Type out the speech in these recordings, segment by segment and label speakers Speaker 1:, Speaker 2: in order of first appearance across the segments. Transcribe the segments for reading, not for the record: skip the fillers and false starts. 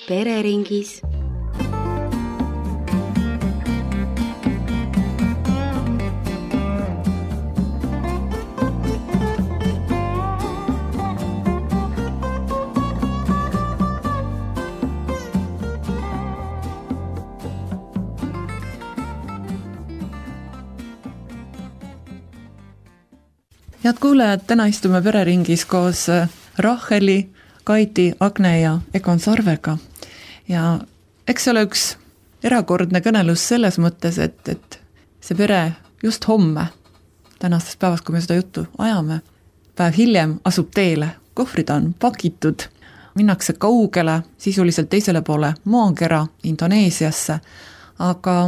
Speaker 1: pereringis.
Speaker 2: Head kuulajad, täna istume pereringis koos Raheli, Kaidi, Agne ja Egon Sarvega. Ja eks ole üks erakordne kõnelus selles mõttes, et see pere just homme, tänasest päevast, kui me seda juttu ajame, päev hiljem asub teele. Kohvrid on pakitud, minnakse kaugele, sisuliselt teisele poole maakera Indoneesiasse, aga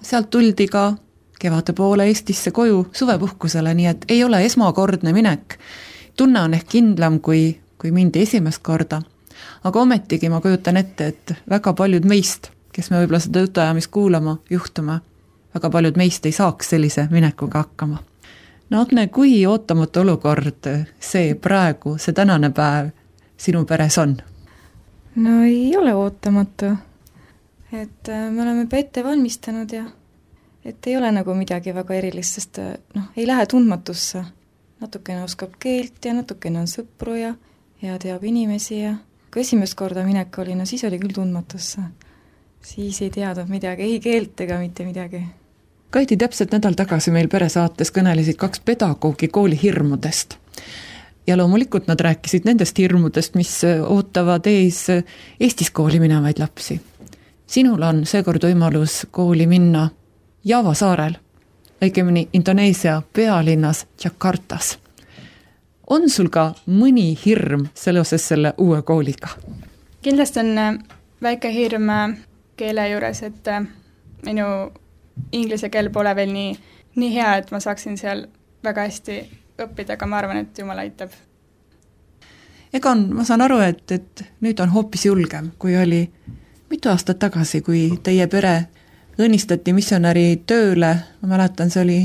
Speaker 2: sealt tuldi ka kevade poole Eestisse koju suvepuhkusele, nii et ei ole esmakordne minek. Tunne on ehk kindlam, kui mindi esimest korda. Aga ometigi ma kujutan ette, et väga paljud meist, kes me võib-olla seda jutuajamist kuulama juhtume, väga paljud meist ei saaks sellise minekuga hakkama. No Agne, kui ootamatu olukord see praegu, see tänane päev sinu peres on?
Speaker 3: No ei ole ootamatu. Et me oleme ette valmistanud ja et ei ole nagu midagi väga erilist, sest ei lähe tundmatusse. Natukene oskab keelt ja natukene on sõpru ja teab inimesi ja kui esimest korda minek oli, siis oli küll tundmatusse. Siis ei teadnud midagi, ei keelt ega mitte midagi.
Speaker 2: Kaidi, täpselt nädal tagasi meil peresaates kõnelesid 2 pedagoogi kooli hirmudest. Ja loomulikult nad rääkisid nendest hirmudest, mis ootavad ees Eestis kooli minevaid lapsi. Sinul on seekord võimalus kooli minna Java saarel, õigemini Indoneesia pealinnas Jakartas. On sul ka mõni hirm seoses selle uue kooliga?
Speaker 4: Kindlasti on väike hirm keele juures, et minu inglise keel pole veel nii hea, et ma saaksin seal väga hästi õppida, aga ma arvan, et Jumal aitab. Egon,
Speaker 2: ma saan aru, et nüüd on hoopis julgem, kui oli mitu aastat tagasi, kui teie pere õnnistati missionäri tööle, ma mäletan, see oli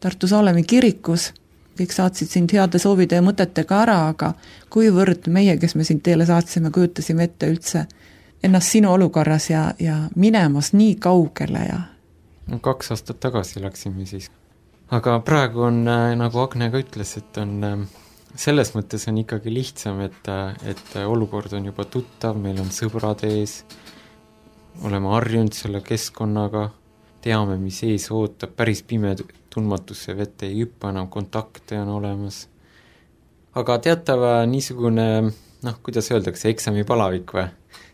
Speaker 2: Tartu Saalemi kirikus, kõik saatsid sind heade soovide ja mõtetega ära, aga kuivõrd meie, kes me sind teele saatsime, kujutasime ette üldse ennast sinu olukorras ja minemas nii kaugele ja...
Speaker 5: 2 aastat tagasi läksime siis. Aga praegu on, nagu Agne ka ütles, et on, selles mõttes on ikkagi lihtsam, et olukord on juba tuttav, meil on sõbrad ees, oleme harjunud selle keskkonnaga, teame, mis ees ootab, päris pime tundmatusse vette ei hüppa, enam kontakte on olemas. Aga teatava niisugune, kuidas öeldakse, eksamipalavik või?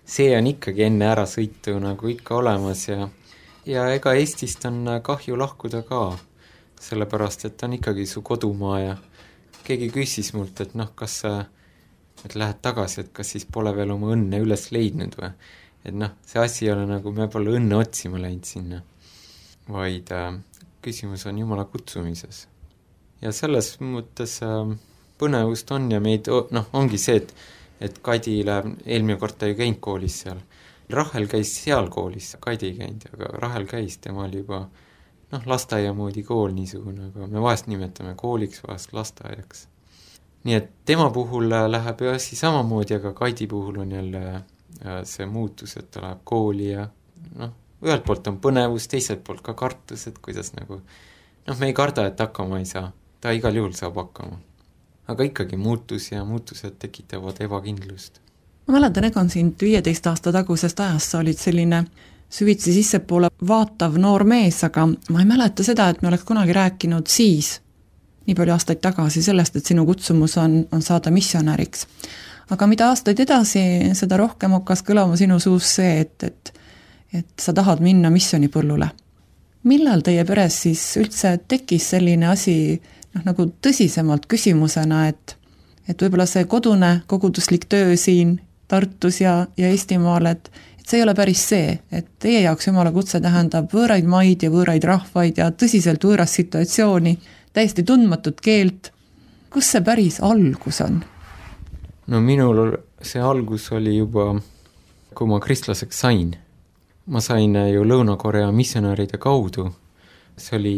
Speaker 5: See on ikkagi enne ära sõitu nagu ikka olemas ja ega Eestist on kahju lahkuda ka, sellepärast, et on ikkagi su kodumaa ja keegi küsis mult, et kas et lähed tagasi, et kas siis pole veel oma õnne üles leidnud või? Et see asi ei ole nagu me pole õnne otsima läinud sinna, vaid küsimus on Jumala kutsumises. Ja selles mõttes põnevust on ja meid, ongi see, et Kaidi läheb, eelmine kord ta ju käinud koolis seal. Rahel käis seal koolis, Kaidi ei käinud, aga Rahel käis, tema oli juba lasteaia moodi kool niisugune, aga me vahest nimetame kooliks, vahest lasteaiaks. Nii et tema puhul läheb ju asi samamoodi, aga Kaidi puhul on jälle see muutus, et ta läheb kooli ja ühelt poolt on põnevus, teiselt poolt ka kartus, et kuidas nagu, me ei karda, et hakkama ei saa, ta igal juhul saab hakkama. Aga ikkagi muutus ja muutused tekitavad ebakindlust.
Speaker 2: Ma mäletan, Egon, sind 15 aasta tagusest ajast sa olid selline süvitsi sissepoole vaatav noor mees, aga ma ei mäleta seda, et me oleks kunagi rääkinud siis, nii palju aastaid tagasi sellest, et sinu kutsumus on saada missionäriks. Aga mida aastaid edasi, seda rohkem hakkas kõlama sinu suus see, et sa tahad minna missionipõllule. Millal teie peres siis üldse tekkis selline asi nagu tõsisemalt küsimusena, et võib-olla see kodune koguduslik töö siin Tartus ja Eestimaal, et see ei ole päris see, et teie jaoks Jumala kutse tähendab võõraid maid ja võõraid rahvaid ja tõsiselt võõras situatsiooni, täiesti tundmatut keelt. Kus see päris algus on?
Speaker 5: No minul see algus oli juba, kui ma kristlaseks sain. Ma sain ju Lõuna-Korea missionäride kaudu. See oli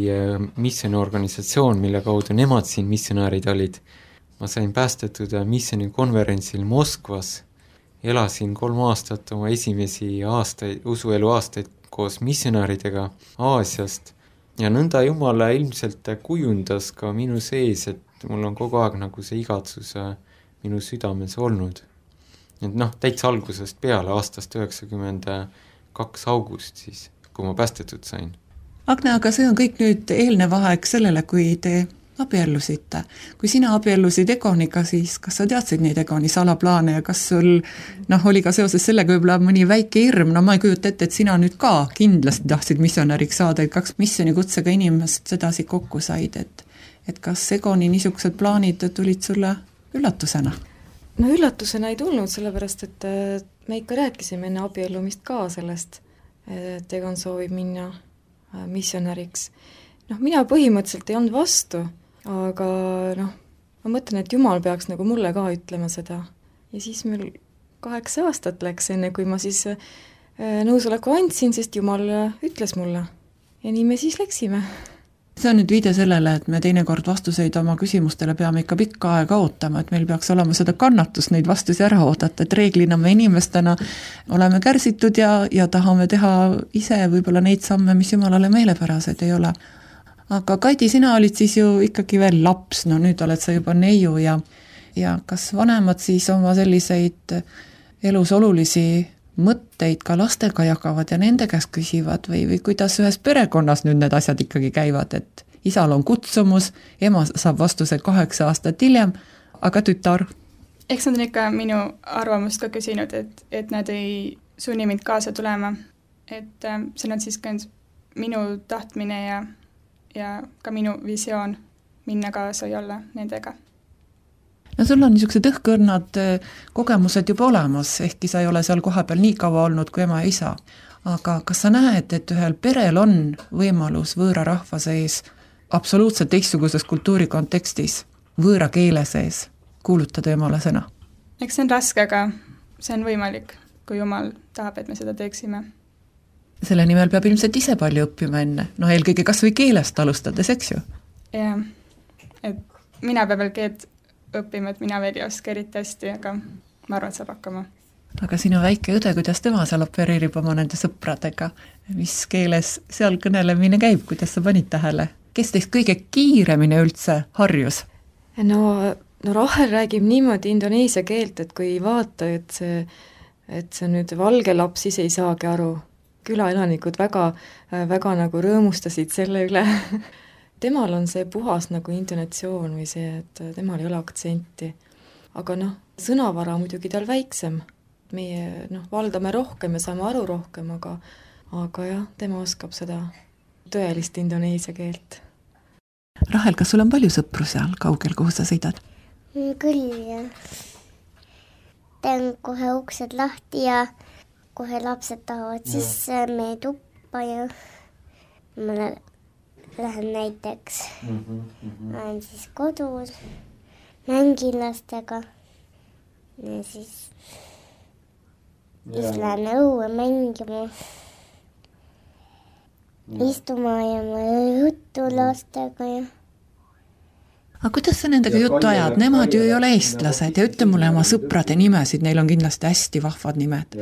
Speaker 5: missioniorganisatsioon, mille kaudu nemad siin missionäärid olid. Ma sain päästetud missionikonverentsil Moskvas elasin 3 aastat oma esimesi aastaid, usuelu aastaid koos missionäridega Aasiast ja nõnda Jumala ilmselt kujundas ka minu sees, et mul on kogu aeg nagu see igatsus minu südames olnud. Et täitsa algusest peale aastast 92 august siis, kui ma päästetud sain.
Speaker 2: Agne, aga see on kõik nüüd eelnev aeg sellele, kui te abiellusite. Kui sina abiellusid Egoniga, siis kas sa teadsid neid Egoni salaplaane ja kas sul oli ka seoses sellega võib-olla mõni väike hirm, ma ei kujuta ette, et sina nüüd ka kindlasti tahtsid missionäriks saada, et 2 missionikutsega inimest sedasi kokku said, et kas Egoni niisugused plaanid tulid sulle üllatusena?
Speaker 3: No üllatusena ei tulnud, sellepärast et me ikka rääkisime enne abiellumist ka sellest, et Egon soovib minna missionäriks. Mina põhimõtteliselt ei olnud vastu, aga ma mõtlen, et Jumal peaks nagu mulle ka ütlema seda. Ja siis meil 8 aastat läks enne, kui ma siis nõusoleku andsin, sest Jumal ütles mulle. Ja nii me siis läksime.
Speaker 2: See on nüüd viide sellele, et me teinekord vastuseid oma küsimustele peame ikka pikka aega ootama, et meil peaks olema seda kannatust neid vastusi ära oodata, et reeglina me inimestena oleme kärsitud ja tahame teha ise võib-olla neid samme, mis Jumalale meelepärased ei ole. Aga Kaidi, sina olid siis ju ikkagi veel laps, nüüd oled sa juba neiu ja kas vanemad siis oma selliseid elus olulisi mõtteid ka lastega jagavad ja nende käest küsivad või kuidas ühes perekonnas nüüd need asjad ikkagi käivad, et isal on kutsumus, ema saab vastuse 8 aastat hiljem, aga tütar?
Speaker 4: Eks nad on ikka minu arvamust ka küsinud, et nad ei sunni mind kaasa tulema, et see on siis ka minu tahtmine ja ka minu visioon minna kaasa ja olla nendega.
Speaker 2: No sul on niisugused õhkõrnad kogemused juba olemas, ehkki sa ei ole seal kohapeal nii kaua olnud kui ema ja isa. Aga kas sa näed, et ühel perel on võimalus võõra rahva sees absoluutselt teistsuguses kultuurikontekstis, võõra keele sees kuulutada Jumala sõna?
Speaker 4: Eks see on raske, aga see on võimalik, kui Jumal tahab, et me seda teeksime.
Speaker 2: Selle nimel peab ilmselt ise palju õppima enne, eelkõige kas või keelest alustades, eks ju?
Speaker 4: Jah, et mina peab veel keelt õppima, et mina veel ei oska eriti hästi, aga ma arvan, et saab hakkama.
Speaker 2: Aga sinu väike õde, kuidas tema seal opereerib oma nende sõpradega? Mis keeles seal kõnelemine käib, kuidas sa panid tähele? Kes teist kõige kiiremini üldse harjus?
Speaker 3: No Rahel räägib niimoodi indoneesia keelt, et kui ei vaata, et see nüüd valge laps ise ei saagi aru. Külaelanikud väga nagu rõõmustasid selle üle. Temal on see puhas nagu intonatsioon või see, et temal ei ole aktsenti. Aga sõnavara muidugi tal väiksem. Meie valdame rohkem ja saame aru rohkem, aga jah, tema oskab seda tõelist indoneesia keelt.
Speaker 2: Rahel, kas sul on palju sõpru seal kaugel, kuhu sa sõidad?
Speaker 1: Küll, jah. Teen kohe uksed lahti ja kohe lapsed tahavad sisse meie tuppa ja ma lähen näiteks, olen siis kodus, mängin lastega ja siis lähen õue mängima, istuma ja ma juttu lastega ja
Speaker 2: Aga kuidas sa nendega juttu ajad? Nemad ju ei ole eestlased ja ütle mulle oma sõprade nimesid, neil on kindlasti hästi vahvad nimed.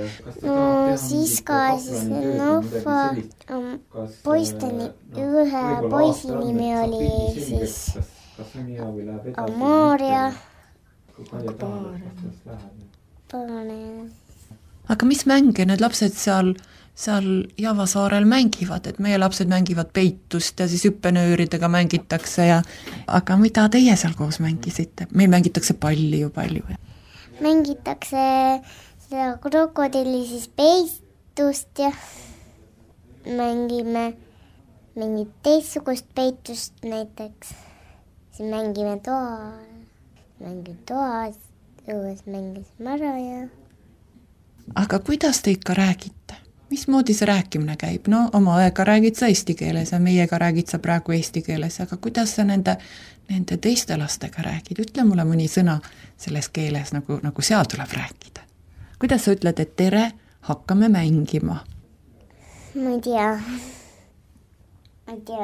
Speaker 1: No siis ka siis poisteni, ühe poisi nimi oli siis Amaria.
Speaker 2: Aga mis mänge need lapsed seal Javasaarel mängivad, et meie lapsed mängivad peitust ja siis hüppenööridega mängitakse aga mida teie seal koos mängisite? Meil mängitakse palli ju palju.
Speaker 1: Mängitakse seda krokodilli siis peitust ja mängime mingit teistsugust peitust näiteks. Siis mängime toas, õues mängisime ära ja...
Speaker 2: Aga kuidas te ikka räägite? Mismoodi see rääkimine käib? No oma õega räägid sa eesti keeles ja meiega räägid sa praegu eesti keeles, aga kuidas sa nende teiste lastega räägid? Ütle mulle mõni sõna selles keeles, nagu seal tuleb rääkida. Kuidas sa ütled, et tere, hakkame mängima?
Speaker 1: Ma ei tea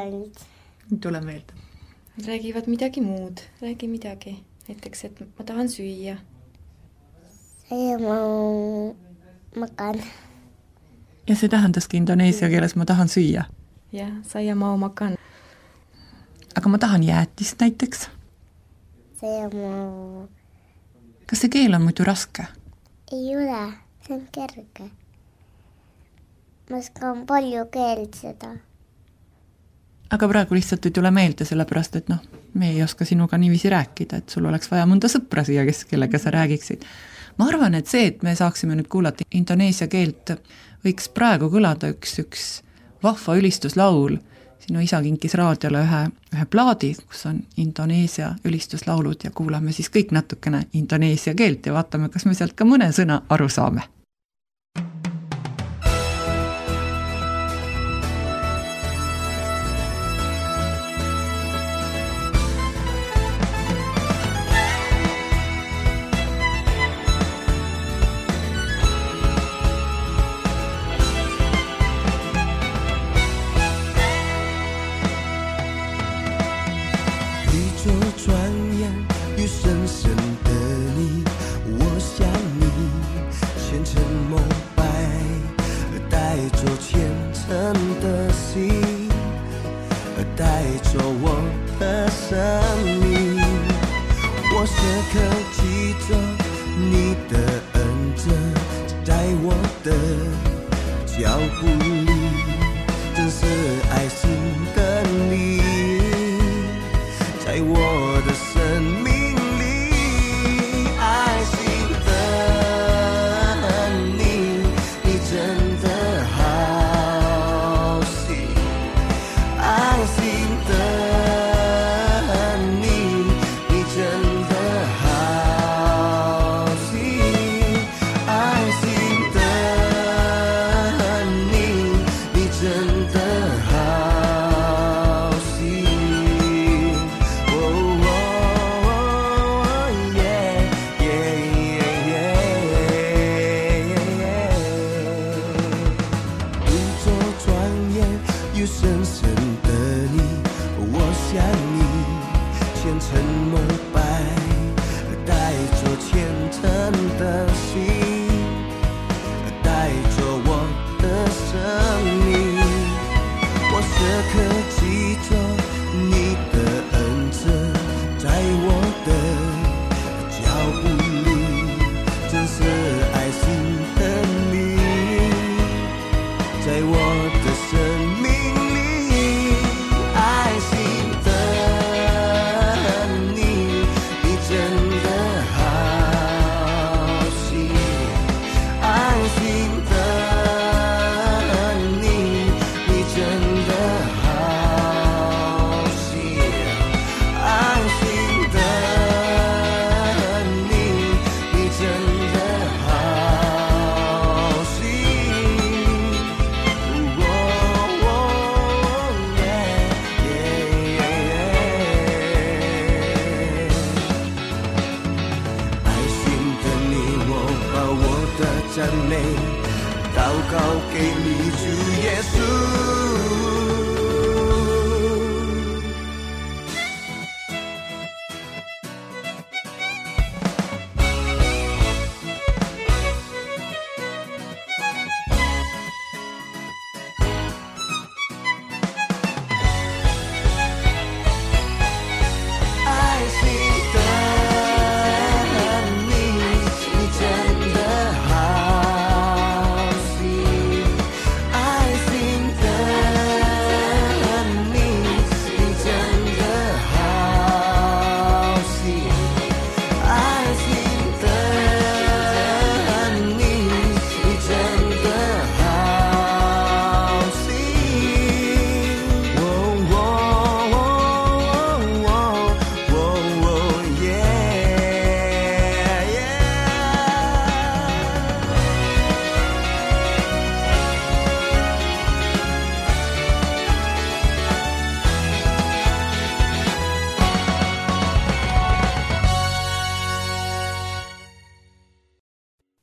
Speaker 1: nüüd.
Speaker 2: Tule meelde.
Speaker 3: Räägivad midagi muud, räägi midagi. Näiteks, et ma tahan süüa.
Speaker 1: Saya mau makan.
Speaker 2: Ja see tähendaski indoneesia keeles ma tahan süüa.
Speaker 3: jah, saya mau makan.
Speaker 2: Aga ma tahan jäätist näiteks.
Speaker 1: Saya mau...
Speaker 2: Kas see keel on muidu raske?
Speaker 1: Ei ole, see on kerge. Ma oskan palju keelt seda.
Speaker 2: Aga praegu lihtsalt ei tule meelde, sellepärast, et me ei oska sinuga niiviisi rääkida, et sul oleks vaja mõnda sõpra siia, kellega sa räägiksid. Ma arvan, et see, et me saaksime nüüd kuulata indoneesia keelt, võiks praegu kõlada üks vahva ülistuslaul. Sinu isa kinkis raadiole ühe plaadi, kus on indoneesia ülistuslaulud ja kuulame siis kõik natukene indoneesia keelt ja vaatame, kas me sealt ka mõne sõna aru saame.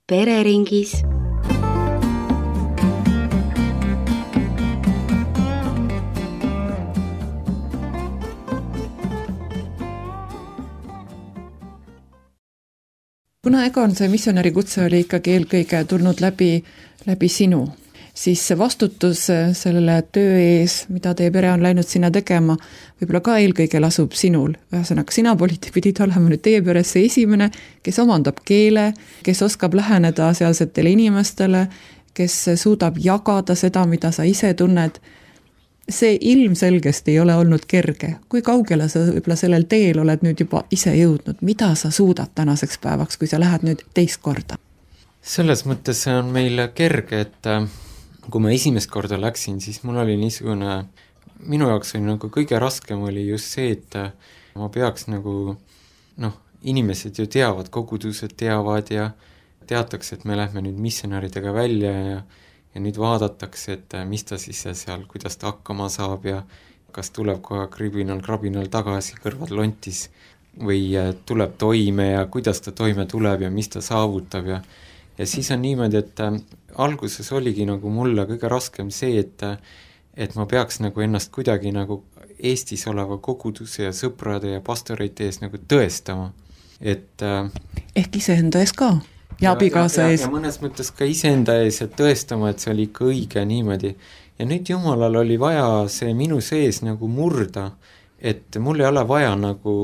Speaker 6: Pereringis.
Speaker 2: kuna Egon see missionäri kutse oli ikkagi eelkõige tulnud läbi sinu, siis see vastutus sellele töö ees, mida teie pere on läinud sinna tegema, võib-olla ka eelkõige lasub sinul. Ühesõnaga, sina pidid olema nüüd teie peres see esimene, kes omandab keele, kes oskab läheneda sealsetele inimestele, kes suudab jagada seda, mida sa ise tunned. See ilmselgesti ei ole olnud kerge. Kui kaugele sa võib-olla sellel teel oled nüüd juba ise jõudnud? Mida sa suudad tänaseks päevaks, kui sa lähed nüüd teist korda?
Speaker 5: Selles mõttes on meil kerge, et kui ma esimest korda läksin, siis mul oli niisugune, minu jaoks oli nagu kõige raskem oli just see, et ma peaks nagu, inimesed ju teavad, kogudused teavad ja teatakse, et me lähme nüüd missionäridega välja ja nüüd vaadatakse, et mis ta siis seal, kuidas ta hakkama saab ja kas tuleb kohe krabinal tagasi kõrvad lontis või tuleb toime ja kuidas ta toime tuleb ja mis ta saavutab ja siis on niimoodi, et alguses oligi nagu mulle kõige raskem see, et ma peaks nagu ennast kuidagi nagu Eestis oleva koguduse ja sõprade ja pastorite ees nagu tõestama, et
Speaker 2: ehk iseenda ees ka? Ja abikaasa ees.
Speaker 5: Ja mõnes mõttes ka iseenda ees, et tõestama, et see oli ikka õige niimoodi. Ja nüüd Jumalal oli vaja see minu sees nagu murda, et mul ei ole vaja nagu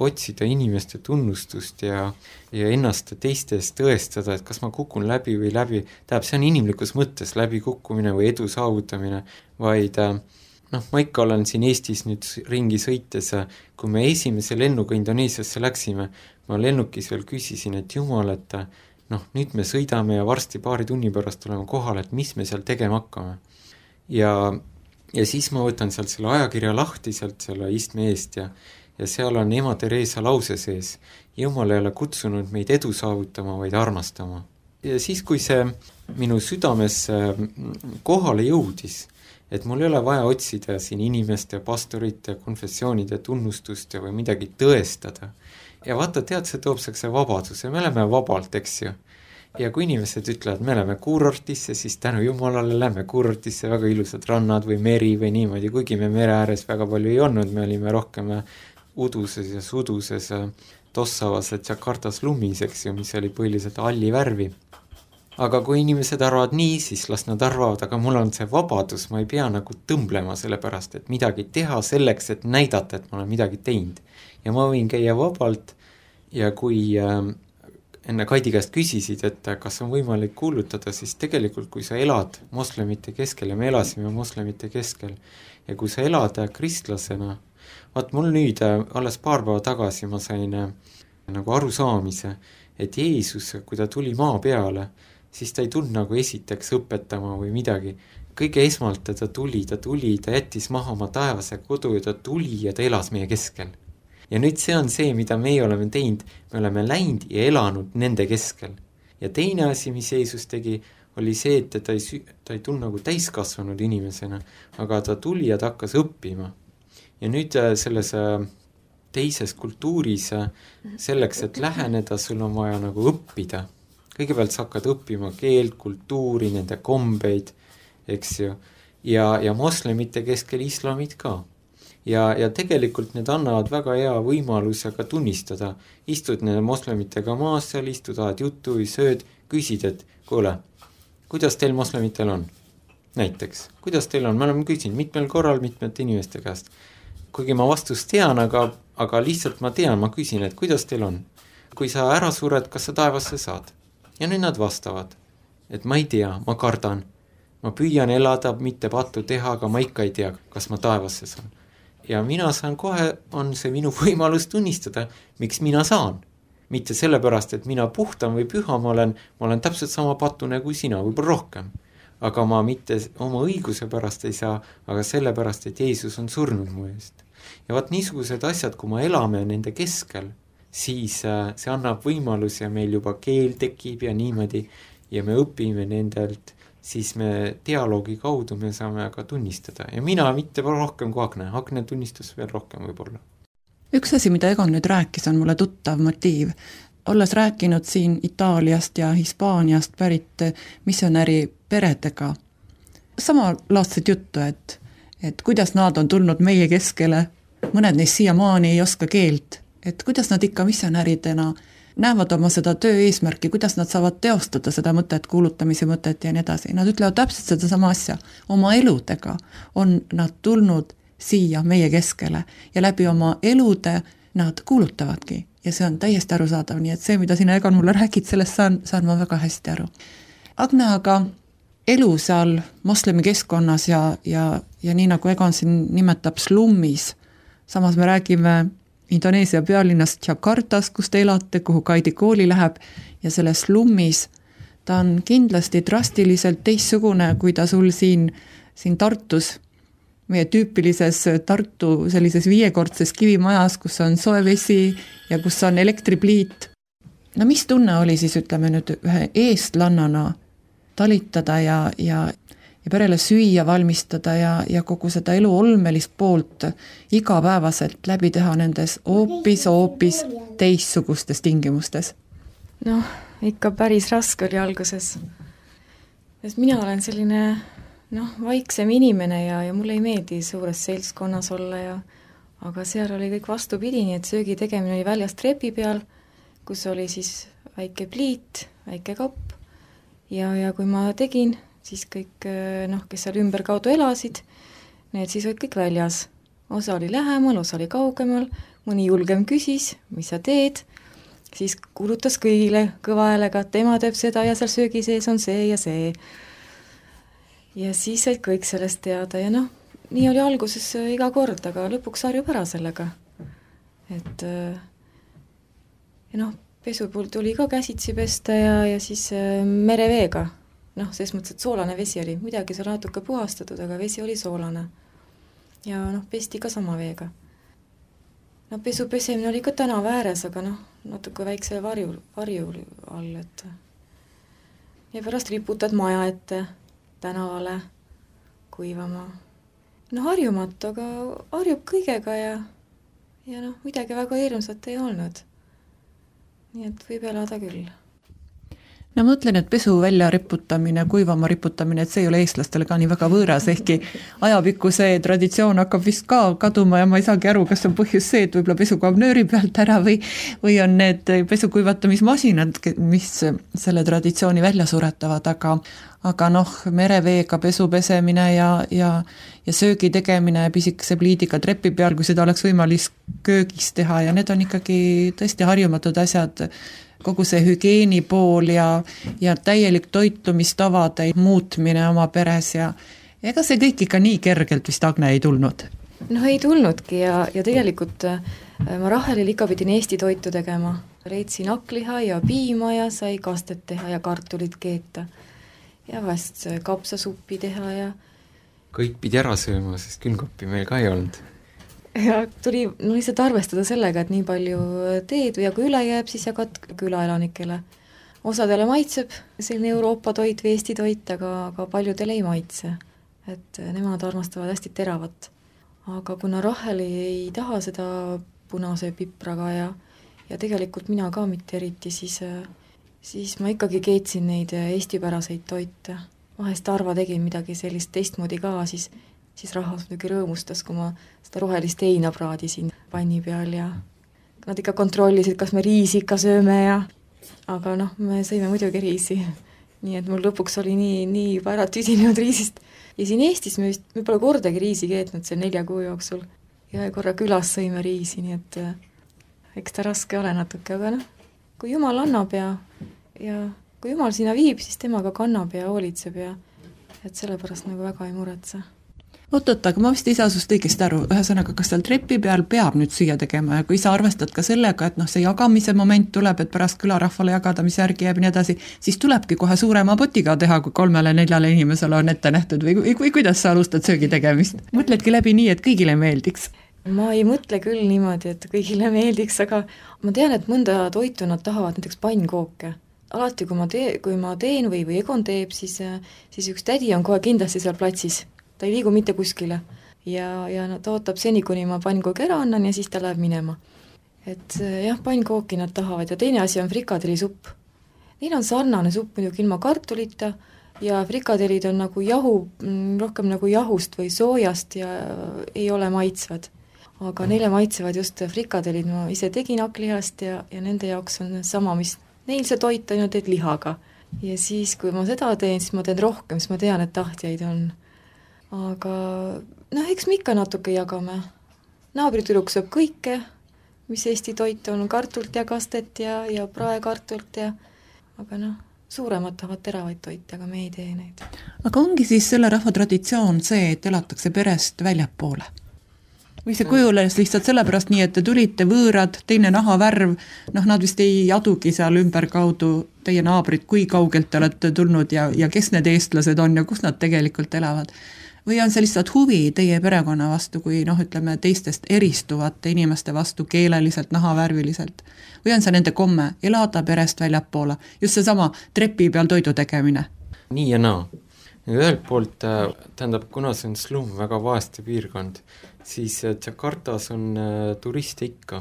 Speaker 5: otsida inimeste tunnustust ja ennast teistes tõestada, et kas ma kukun läbi või läbi, see on inimlikus mõttes läbi kukkumine või edu saavutamine, vaid ma ikka olen siin Eestis nüüd ringi sõites, kui me esimese lennuga Indoneesiasse läksime, ma lennukis veel küsisin, et Jumal, et nüüd me sõidame ja varsti paari tunni pärast oleme kohal, et mis me seal tegema hakkame. Ja siis ma võtan sealt selle ajakirja lahti sealt selle istme eest ja seal on Ema Teresa lause sees. Jumal ei ole kutsunud meid edu saavutama, vaid armastama. Ja siis, kui see minu südames kohale jõudis, et mul ei ole vaja otsida siin inimeste, pastorite, konfessioonide tunnustust või midagi tõestada. Ja vaata, tead, see toob see vabaduse, me oleme vabalt, eks ju. Ja kui inimesed ütlevad, me oleme kuurortisse, siis tänu Jumalale lähme kuurortisse, väga ilusad rannad või meri või niimoodi, kuigi me mere ääres väga palju ei olnud, me olime rohkem uduses ja suduses Tossavas ja Jakartas lumis, eks ju, mis oli põhiliselt halli värvi. Aga kui inimesed arvavad nii, siis las nad arvavad, aga mul on see vabadus, ma ei pea nagu tõmblema selle pärast, et midagi teha selleks, et näidata, et ma olen midagi teinud. Ja ma võin käia vabalt ja kui enne Kaidi käest küsisid, et kas on võimalik kuulutada, siis tegelikult kui sa elad moslemite keskel ja me elasime moslemite keskel ja kui sa elad kristlasena, vaat mul nüüd alles paar päeva tagasi ma sain nagu arusaamise, et Jeesus, kui ta tuli maa peale, siis ta ei tulnud nagu esiteks õpetama või midagi. Kõige esmalt ta tuli, ta jättis maha oma taevase kodu ja ta tuli ja ta elas meie keskel. Ja nüüd see on see, mida meie oleme teinud, me oleme läinud ja elanud nende keskel. Ja teine asi, mis Jeesus tegi, oli see, et ta ei tulnud nagu täiskasvanud inimesena, aga ta tuli ja ta hakkas õppima. Ja nüüd selles teises kultuuris selleks, et läheneda, sul on vaja nagu õppida. Kõigepealt sa hakkad õppima keelt, kultuuri, nende kombeid, eks ju, ja moslemite keskel islamid ka. Ja tegelikult need annavad väga hea võimaluse ka tunnistada. Istud nende moslemitega maas seal, istud, ajad juttu või sööd, küsid, et kuule, kuidas teil moslemitel on? Näiteks, kuidas teil on? Me oleme küsinud mitmel korral mitmete inimeste käest. Kuigi ma vastust tean, aga lihtsalt ma tean, ma küsin, et kuidas teil on? Kui sa ära sured, kas sa taevasse saad? Ja nüüd nad vastavad, et ma ei tea, ma kardan. Ma püüan elada, mitte pattu teha, aga ma ikka ei tea, kas ma taevasse saan. Ja mina saan kohe, on see minu võimalus tunnistada, miks mina saan. Mitte sellepärast, et mina puhtam või püha ma olen täpselt sama patune kui sina, võib-olla rohkem. Aga ma mitte oma õiguse pärast ei saa, aga sellepärast, et Jeesus on surnud mu eest. Ja vaat niisugused asjad, kui ma elame nende keskel, siis see annab võimalus ja meil juba keel tekib ja niimoodi ja me õpime nendelt, siis me dialoogi kaudu me saame ka tunnistada. Ja mina mitte rohkem kui Agne. Agne tunnistas veel rohkem võib-olla.
Speaker 2: Üks asi, mida Egon nüüd rääkis, on mulle tuttav motiiv. Olles rääkinud siin Itaaliast ja Hispaaniast pärit missionäri peredega, samalaadset juttu, et kuidas nad on tulnud meie keskele, mõned neist siiamaani ei oska keelt, et kuidas nad ikka missionäridena näevad oma seda töö eesmärki, kuidas nad saavad teostada seda mõtet, kuulutamise mõtet ja nii edasi. Nad ütlevad täpselt seda sama asja. Oma eludega on nad tulnud siia meie keskele ja läbi oma elude nad kuulutavadki ja see on täiesti arusaadav, nii et see, mida sina, Egon, mulle räägid, sellest saan ma väga hästi aru. Agne, aga elu seal moslemi keskkonnas ja nii nagu Egon siin nimetab slummis, samas me räägime Indoneesia pealinnast Jakartas, kus te elate, kuhu Kaidi kooli läheb ja selles slummis ta on kindlasti drastiliselt teistsugune, kui ta sul siin Tartus, meie tüüpilises Tartu sellises 5-kordses kivimajas, kus on soe vesi ja kus on elektripliit. No mis tunne oli siis, ütleme nüüd, ühe eestlannana talitada ja perele süüa valmistada ja kogu seda elu olmelist poolt igapäevaselt läbi teha nendes hoopis teistsugustes tingimustes?
Speaker 3: Noh, ikka päris raske oli alguses. Sest mina olen selline vaiksem inimene ja mulle ei meeldi suures seltskonnas olla aga seal oli kõik vastupidi, nii et söögi tegemine oli väljas trepi peal, kus oli siis väike pliit, väike kapp ja kui ma tegin, siis kõik, kes seal ümberkaudu elasid, need siis olid kõik väljas. Osa oli lähemal, osa oli kaugemal, mõni julgem küsis, mis sa teed, siis kuulutas kõigile kõva häälega, et tema teeb seda ja seal söögi sees on see ja see. Ja siis said kõik sellest teada ja nii oli alguses iga kord, aga lõpuks harjub ära sellega. Et pesu puhul tuli ka käsitsi pesta ja siis mereveega. Selles mõttes, et soolane vesi oli, midagi seal natuke puhastatud, aga vesi oli soolane. Ja pesti ka sama veega. Pesu pesemine oli ka tänava ääres, aga natuke väikse varju all, et ja pärast riputad maja ette tänavale kuivama. Harjumatu, aga harjub kõigega ja midagi väga hirmsat ei olnud. Nii et võib elada küll.
Speaker 2: No ma mõtlen, et pesu välja riputamine, kuivama riputamine, et see ei ole eestlastele ka nii väga võõras, ehkki ajapikku see traditsioon hakkab vist ka kaduma ja ma ei saagi aru, kas on põhjus see, et võib-olla pesu kaob nööri pealt ära või on need pesukuivatamismasinad, mis selle traditsiooni välja suretavad, aga mereveega pesu pesemine ja söögi tegemine pisikese pliidiga trepi peal, kui seda oleks võimalik köögis teha ja need on ikkagi tõesti harjumatud asjad, kogu see hügieeni pool ja täielik toitumistavade muutmine oma peres ja ega see kõik ikka nii kergelt vist, Agne, ei tulnud?
Speaker 3: Ei tulnudki ja tegelikult ma Rahelil ikka pidin Eesti toitu tegema. Leidsin hakkliha ja piima ja sai kastet teha ja kartulit keeta ja vast kapsasuppi teha ja
Speaker 5: kõik pidi ära sööma, sest külmkappi meil ka ei olnud.
Speaker 3: Ja tuli lihtsalt arvestada sellega, et nii palju teed ja kui üle jääb, siis jagad külaelanikele. Osadele maitseb selline Euroopa toit või Eesti toit, aga paljudele ei maitse. Et nemad armastavad hästi teravat. Aga kuna Rahel ei taha seda punase pipraga ja tegelikult mina ka mitte eriti, siis ma ikkagi keetsin neid eestipäraseid toite. Vahest Arva tegin midagi sellist teistmoodi ka, siis rahvas muidugi rõõmustas, kui ma seda rohelist heina praadisin panni peal ja nad ikka kontrollisid, kas me riisi ikka sööme aga me sõime muidugi riisi. Nii et mul lõpuks oli nii juba ära tüdinenud riisist. Ja siin Eestis me pole kordagi riisi keetnud see 4 kuu jooksul. Ja korra külas sõime riisi, nii et eks ta raske ole natuke, aga kui Jumal annab ja kui Jumal sinna viib, siis tema ka kannab ja hoolitseb ja et sellepärast väga ei muretse.
Speaker 2: Oot, aga ma vist ei saa sust õigesti aru, ühesõnaga, kas seal trepi peal peab nüüd süüa tegema ja kui sa arvestad ka sellega, et see jagamise moment tuleb, et pärast külarahvale jagada, mis järgi jääb nii edasi, siis tulebki kohe suurema potiga teha, kui 3-4 inimesele on ette nähtud või kuidas sa alustad söögi tegemist? Mõtledki läbi nii, et kõigile meeldiks?
Speaker 3: Ma ei mõtle küll niimoodi, et kõigile meeldiks, aga ma tean, et mõnda toitu nad tahavad, näiteks pannkooke. Alati, kui ma teen või Egon teeb, siis üks tädi on kohe kindlasti seal platsis. Ta ei liigu mitte kuskile ja ta ootab seni, kuni ma pannkoogi ära annan ja siis ta läheb minema. Et jah, pannkooki nad tahavad ja teine asi on frikadellisupp. Neil on sarnane supp muidugi ilma kartulita ja frikadelid on nagu rohkem nagu jahust või soojast ja ei ole maitsvad. aga neile maitsevad just frikadellid, ma ise tegin hakklihast ja nende jaoks on sama, mis neil see toit on ju teed lihaga. Ja siis, kui ma seda teen, siis ma teen rohkem, siis ma tean, et tahtjaid on. Aga eks me ikka natuke jagame. Naabritüdruk sööb kõike, mis Eesti toit on, kartult ja kastet ja praekartult aga suuremad tahavad teravaid toite, aga me ei tee neid.
Speaker 2: Aga ongi siis selle rahva traditsioon see, et elatakse perest väljapoole? Või see kujules lihtsalt sellepärast nii, et te tulite võõrad, teine nahavärv, nad vist ei adugi seal ümberkaudu teie naabrid, kui kaugelt te olete tulnud ja kes need eestlased on ja kus nad tegelikult elavad? Või on see lihtsalt huvi teie perekonna vastu, kui ütleme teistest eristuvate inimeste vastu keeleliselt, nahavärviliselt? Või on see nende komme elada perest väljapoole? Just seesama trepi peal toidu tegemine?
Speaker 5: Nii ja naa. Ühelt poolt, tähendab, kuna see on slum, väga vaeste piirkond, siis Jakartas on turiste ikka,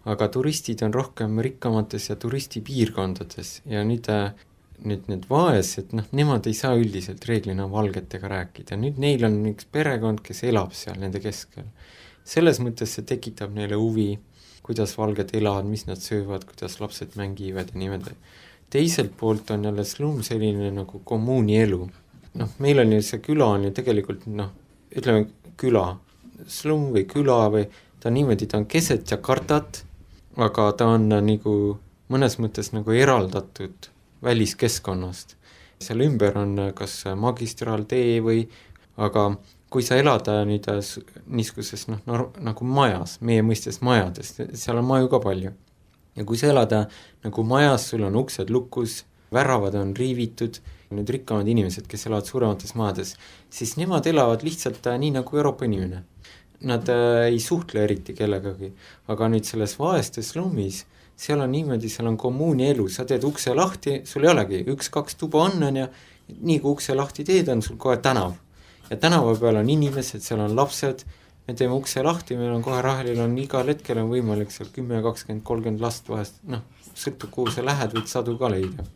Speaker 5: aga turistid on rohkem rikkamates ja turistipiirkondades ja nüüd need vaesed, nemad ei saa üldiselt reeglina valgetega rääkida. Nüüd neil on üks perekond, kes elab seal nende keskel. Selles mõttes see tekitab neile huvi, kuidas valged elavad, mis nad söövad, kuidas lapsed mängivad ja niimoodi. Teiselt poolt on jälle slum selline nagu kommuuni elu. Meil on ju see küla on ju tegelikult, ütleme küla, slum või küla või ta niimoodi, ta on keset Jakartat, aga ta on nagu mõnes mõttes nagu eraldatud väliskeskkonnast. Seal ümber on kas magistraaltee või, aga kui sa elad nüüd niiskuses nagu majas, meie mõistes majades, seal on maju ka palju. Ja kui sa elad nagu majas, sul on uksed lukus, väravad on riivitud, nüüd rikkamad inimesed, kes elavad suuremates maades, siis nemad elavad lihtsalt nii nagu Euroopa inimene. Nad ei suhtle eriti kellegagi, aga nüüd selles vaestes slummis, seal on niimoodi, seal on kommuuni elu, sa teed ukse lahti, sul ei olegi, 1-2 tuba on ja nii kui ukse lahti teed, on sul kohe tänav. Ja tänava peal on inimesed, seal on lapsed, me teeme ukse lahti, meil on kohe Rahelil on igal hetkel on võimalik seal 10, 20, 30 last vahest, sõltub kuhu sa lähed, võid sadu ka leida.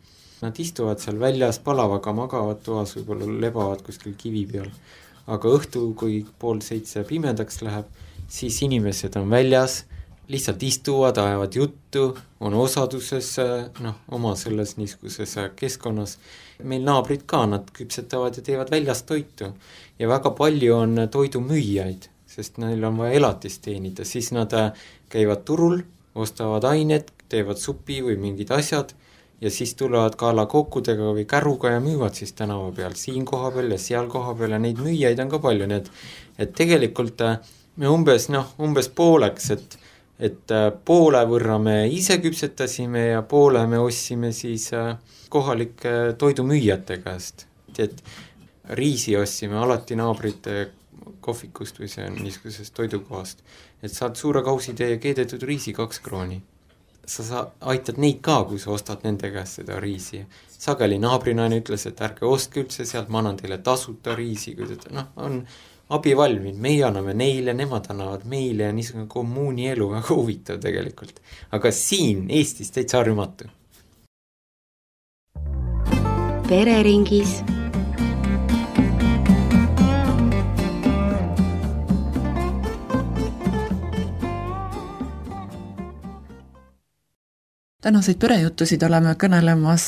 Speaker 5: Nad istuvad seal väljas, palavaga magavad toas, võib-olla lebavad kuskil kivi peal. Aga õhtu, kui 6:30 pimedaks läheb, siis inimesed on väljas, lihtsalt istuvad, ajavad juttu, on osaduses oma selles niiskuses keskkonnas. Meil naabrid ka, nad küpsetavad ja teevad väljas toitu. Ja väga palju on toidumüüjaid, sest neil on vaja elatist teenida. Siis nad käivad turul, ostavad ained, teevad supi või mingid asjad, ja siis tulevad kaalakokkudega või käruga ja müüvad siis tänava peal, siin koha peal ja seal koha peal ja neid müüjaid on ka palju, nii et tegelikult me umbes pooleks, et poole võrra me ise küpsetasime ja poole me ostsime siis kohalike toidumüüjate käest. Et riisi ostsime alati naabrite kohvikust või see niiskusest toidukohast, et saad suure kausitäie keedetud riisi 2 krooni. Sa aitad neid ka, kui sa ostad nende käest seda riisi. Sageli naabrinaine ütles, et ärge ostke üldse sealt, ma annan teile tasuta riisi, kui on abivalmid, meie anname neile, nemad annavad meile ja niisugune kommuuni elu väga huvitav tegelikult. Aga siin Eestis täitsa harjumatu.
Speaker 6: Pereringis.
Speaker 2: Tänaseid perejutusid oleme kõnelemas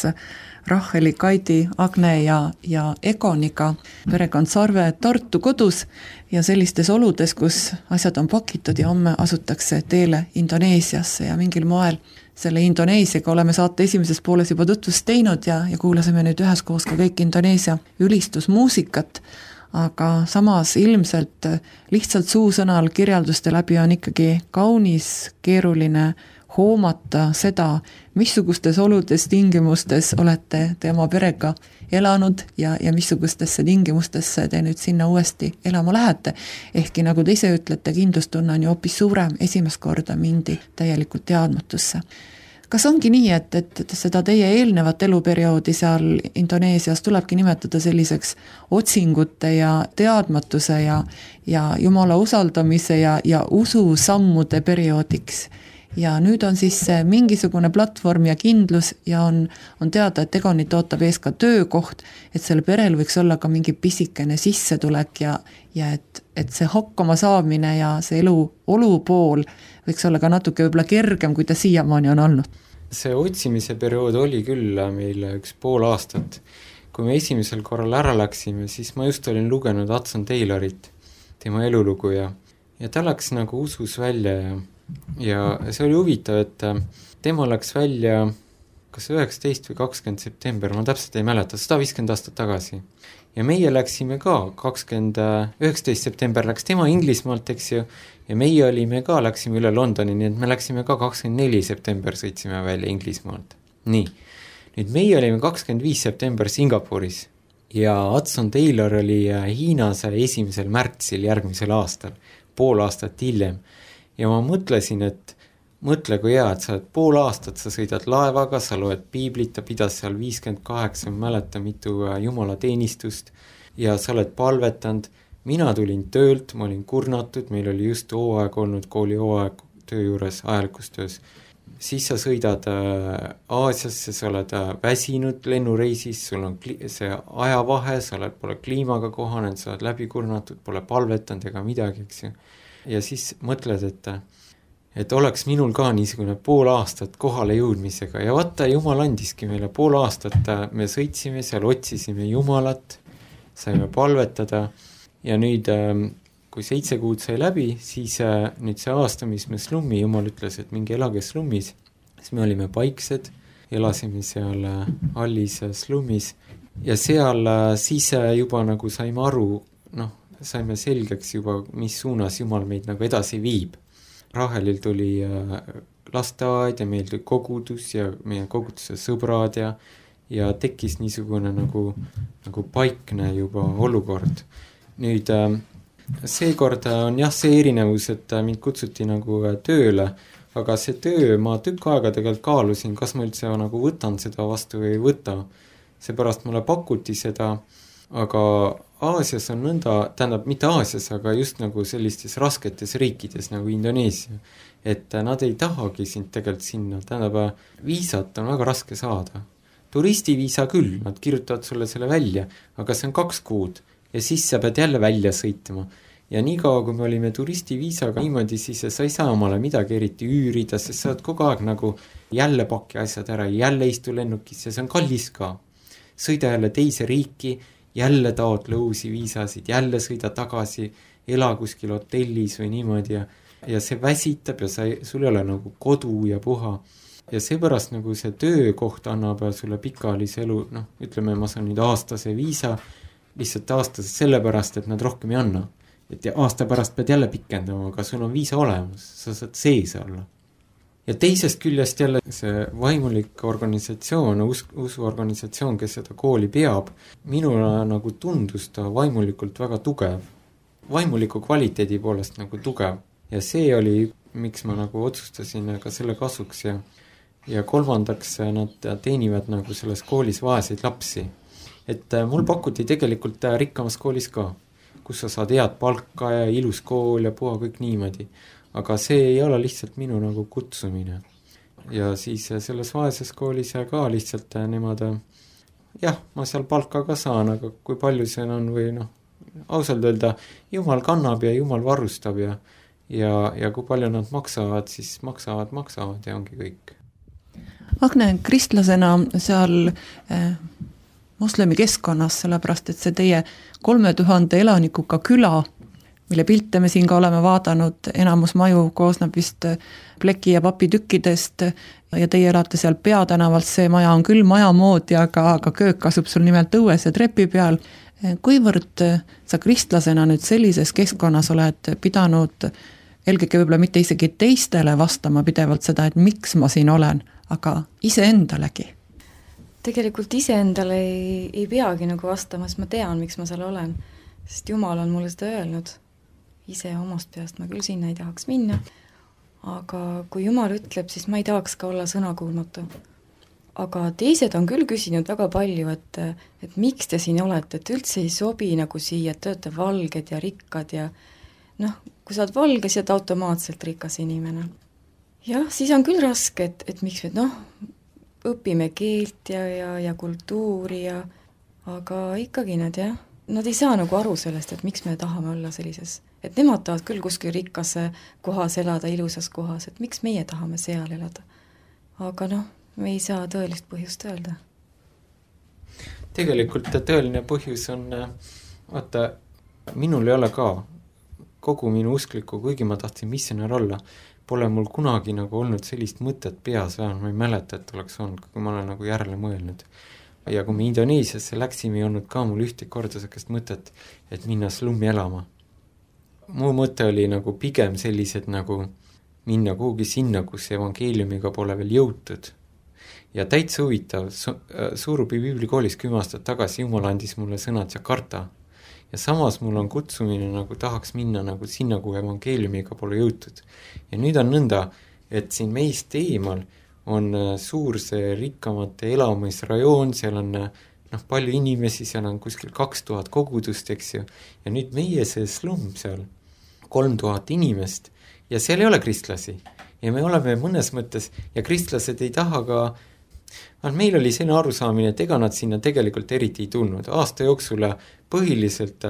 Speaker 2: Raheli, Kaidi, Agne ja Egoniga, perekond Sarve Tartu kodus ja sellistes oludes, kus asjad on pakitud ja homme asutakse teele Indoneesiasse ja mingil moel selle Indoneesiaga oleme saate esimeses pooles juba tutvust teinud ja kuulasime nüüd üheskoos ka kõik Indoneesia ülistusmuusikat, aga samas ilmselt lihtsalt suusõnal kirjelduste läbi on ikkagi kaunis keeruline hoomata seda, missugustes oludes tingimustes olete te oma perega elanud ja missugustesse tingimustesse te nüüd sinna uuesti elama lähete. Ehkki nagu te ise ütlete, kindlustunne on ju hoopis suurem, esimest korda mindi täielikult teadmatusse. Kas ongi nii, et seda teie eelnevat eluperioodi seal Indoneesias tulebki nimetada selliseks otsingute ja teadmatuse ja Jumala usaldamise ja ususammude perioodiks? ja nüüd on siis mingisugune platvorm ja kindlus ja on teada, et Egonit ootab ees ka töökoht, et sellel perel võiks olla ka mingi pisikene sissetulek ja et see hakkama saamine ja see olu pool võiks olla ka natuke võib-olla kergem, kui ta siiamaani on olnud.
Speaker 5: See otsimise periood oli küll meil 1,5 aastat. Kui me esimesel korral ära läksime, siis ma just olin lugenud Hudson Taylorit, tema elulugu ja ta läks nagu usus välja ja see oli huvitav, et tema läks välja kas 19 või 20 september, ma täpselt ei mäleta, 150 aastat tagasi. Ja meie läksime ka 19 september läks tema Inglismaalt, eks ju, ja meie olime ka, läksime üle Londoni, nii et me läksime ka 24 september sõitsime välja Inglismaalt. Nii, nüüd meie olime 25 september Singapuris ja Hudson Taylor oli Hiinas 1. märtsil järgmisel aastal, 5 aastat hiljem. Ja ma mõtlesin, et mõtle kui hea, et sa oled 5 aastat, sa sõidad laevaga, sa loed piiblit, ta pidas seal 58, mäleta mitu jumalateenistust ja sa oled palvetanud. Mina tulin töölt, ma olin kurnatud, meil oli just hooaeg olnud, kooli hooaeg töö juures, ajalikus töös. Siis sa sõidad Aasiasse, sa oled väsinud lennureisis, sul on see ajavahe, sa pole kliimaga kohanenud, sa oled läbi kurnatud, pole palvetanud ega midagi, eks ju. Ja siis mõtled, et oleks minul ka niisugune 5 aastat kohale jõudmisega ja vaata, Jumal andiski meile 5 aastat, me sõitsime seal, otsisime Jumalat, saime palvetada ja nüüd, kui 7 kuud sai läbi, siis nüüd see aasta, mis me slummi, Jumal ütles, et mingi elage slummis, siis me olime paiksed, elasime seal Hallis slummis ja seal siis juba nagu saime aru, saime selgeks juba, mis suunas Jumal meid nagu edasi viib. Rahelil tuli lasteaed ja meil tuli kogudus ja meie koguduse sõbrad ja tekkis niisugune nagu paikne juba olukord. Nüüd seekord on jah see erinevus, et mind kutsuti nagu tööle, aga see töö ma tükk aega tegelikult kaalusin, kas ma üldse nagu võtan seda vastu või ei võta. Seepärast mulle pakuti seda, aga Aasias on nõnda, tähendab mitte Aasias, aga just nagu sellistes rasketes riikides nagu Indoneesia, et nad ei tahagi sind tegelikult sinna, tähendab viisat on väga raske saada. Turistiviisa küll, nad kirjutavad sulle selle välja, aga see on 2 kuud ja siis sa pead jälle välja sõitma. Ja nii kaua, kui me olime turistiviisaga niimoodi, siis sa ei saa omale midagi eriti üürida, sest sa oled kogu aeg nagu jälle paki asjad ära, jälle istu lennukisse, see on kallis ka. Sõida jälle teise riiki, jälle taotle uusi viisasid, jälle sõida tagasi, ela kuskil hotellis või niimoodi ja see väsitab ja sul ei ole nagu kodu ja puha. Ja seepärast nagu see töökoht annab sulle pikaajalise elu, ütleme, ma saan nüüd aastase viisa, lihtsalt aastase sellepärast, et nad rohkem ei anna. Et aasta pärast pead jälle pikendama, aga sul on viisa olemas, sa saad sees olla. Ja teisest küljest jälle see vaimulik organisatsioon, usuorganisatsioon, kes seda kooli peab, minule nagu tundus ta vaimulikult väga tugev. Vaimuliku kvaliteedi poolest nagu tugev. Ja see oli, miks ma nagu otsustasin ka selle kasuks ja kolmandaks nad teenivad nagu selles koolis vaeseid lapsi. Et mul pakuti tegelikult rikkamas koolis ka, kus sa saad head palka ja ilus kool ja puha kõik niimoodi. Aga see ei ole lihtsalt minu nagu kutsumine. Ja siis selles vaeses koolis ka lihtsalt nemad, jah, ma seal palka ka saan, aga kui palju see on või ausalt öelda, Jumal kannab ja Jumal varustab ja kui palju nad maksavad, siis maksavad ja ongi kõik.
Speaker 2: Agne, kristlasena seal moslemi keskkonnas, sellepärast, et see teie 3000 elanikuga küla, mille pilte me siin ka oleme vaadanud, enamus maju koosneb vist pleki ja papitükkidest ja teie elate seal Peatänavalt, see maja on küll maja moodi, aga köök asub sul nimelt õues ja trepi peal. Kuivõrd sa kristlasena nüüd sellises keskkonnas oled pidanud eelkõige võib-olla mitte isegi teistele vastama pidevalt seda, et miks ma siin olen, aga iseendalegi?
Speaker 3: Tegelikult iseendale ei peagi nagu vastama, sest ma tean, miks ma seal olen, sest Jumal on mulle seda öelnud. Ise omast peast ma küll sinna ei tahaks minna, aga kui Jumal ütleb, siis ma ei tahaks ka olla sõnakuulmatu. Aga teised on küll küsinud väga palju, et miks te siin olete, et üldse ei sobi nagu siia, et te olete valged ja rikkad ja kui sa oled valge, siis oled automaatselt rikas inimene. jah, siis on küll raske, et miks me õpime keelt ja kultuuri aga ikkagi nad nad ei saa nagu aru sellest, et miks me tahame olla sellises, et nemad tahavad küll kuskil rikkas kohas elada, ilusas kohas, et miks meie tahame seal elada. Aga me ei saa tõelist põhjust öelda.
Speaker 5: Tegelikult tõeline põhjus on, vaata, minul ei ole ka kogu minu usklikku, kuigi ma tahtsin missionär olla, pole mul kunagi nagu olnud sellist mõtet peas, ma ei mäleta, et oleks olnud, kui ma olen nagu järele mõelnud. Ja kui me Indoneesiasse läksime, ei olnud ka mul ühte korda sellist mõtet, et minna slummi elama. Mu mõte oli nagu pigem sellised nagu minna kuhugi sinna, kus evangeeliumiga pole veel jõutud. Ja täitsa huvitav, Suurupi Biiblikoolis 10 aastat tagasi Jumal andis mulle sõnad Jakarta. Ja samas mul on kutsumine nagu tahaks minna nagu sinna, kuhu evangeeliumiga pole jõutud. Ja nüüd on nõnda, et siin meist eemal on suur see rikkamate elamisrajoon, seal on palju inimesi, seal on kuskil 2000 kogudust, eks ju. Ja nüüd meie see slum seal, 3000 inimest, ja seal ei ole kristlasi. Ja me oleme mõnes mõttes, ja kristlased ei taha ka, meil oli selline arusaamine, et ega nad sinna tegelikult eriti ei tulnud. Aasta jooksul põhiliselt,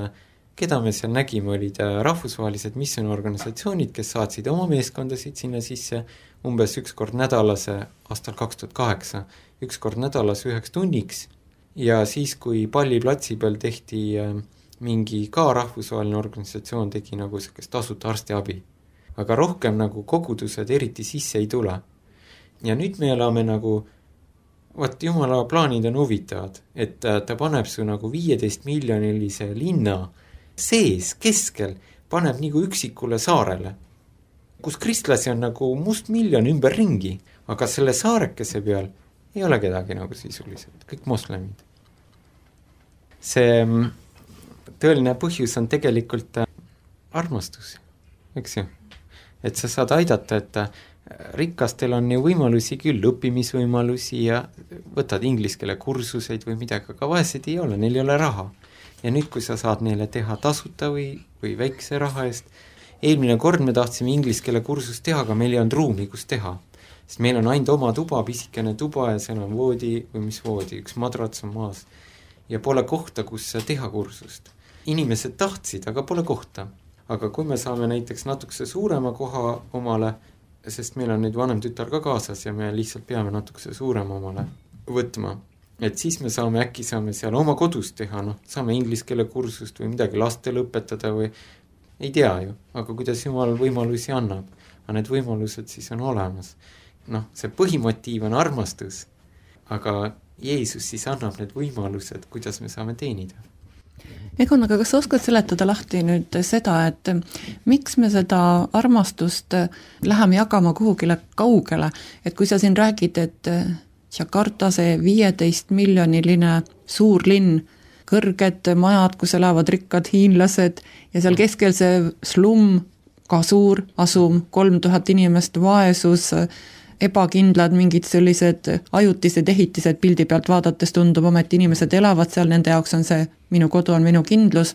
Speaker 5: keda me seal nägime, olid rahvusvahelised missionorganisatsioonid, kes saatsid oma meeskondasid sinna sisse umbes üks kord nädalas aastal 2008, üks kord nädalas 1 tunniks. Ja siis, kui palliplatsi peal tehti mingi ka rahvusvaheline organisatsioon, tegi nagu sellist tasuta arstiabi. Aga rohkem nagu kogudused eriti sisse ei tule. Ja nüüd me elame nagu Jumala plaanid on huvitavad, et ta paneb su nagu 15 miljonilise linna sees, keskel, paneb nagu üksikule saarele, kus kristlasi on nagu mustmiljon ümber ringi, aga selle saarekese peal ei ole kedagi nagu sisuliselt, kõik moslemid. See tõeline põhjus on tegelikult armastus, eks ju? Et sa saad aidata, et rikkastel on ju võimalusi küll, õppimisvõimalusi ja võtad inglise keele kursuseid või midagi, aga vaesed ei ole, neil ei ole raha. Ja nüüd, kui sa saad neile teha tasuta või väikse raha eest, eelmine kord me tahtsime inglise keele kursust teha, aga meil ei olnud ruumi, kus teha. Sest meil on ainult oma tuba, pisikene tuba ja seal on voodi või mis voodi, üks madrats on maas. Ja pole kohta, kus teha kursust. Inimesed tahtsid, aga pole kohta. Aga kui me saame näiteks natukese suurema koha omale, sest meil on nüüd vanem tütar ka kaasas ja me lihtsalt peame natukese suurema omale võtma, et siis me äkki saame seal oma kodus teha, saame inglise keele kursust või midagi lastele õpetada või ei tea ju, aga kuidas Jumal võimalusi annab, aga need võimalused siis on olemas. See põhimotiiv on armastus, aga Jeesus siis annab need võimalused, kuidas me saame teenida.
Speaker 2: Egon, aga kas sa oskad seletada lahti nüüd seda, et miks me seda armastust läheme jagama kuhugile kaugele, et kui sa siin räägid, et Jakarta, see 15 miljoniline suur linn, kõrged majad, kus elavad rikkad hiinlased ja seal keskel see slum, ka suur asum, 3000 inimest, vaesus, ebakindlad, mingid sellised ajutised ehitised pildi pealt vaadates tundub, ometi inimesed elavad seal, nende jaoks on see minu kodu on minu kindlus.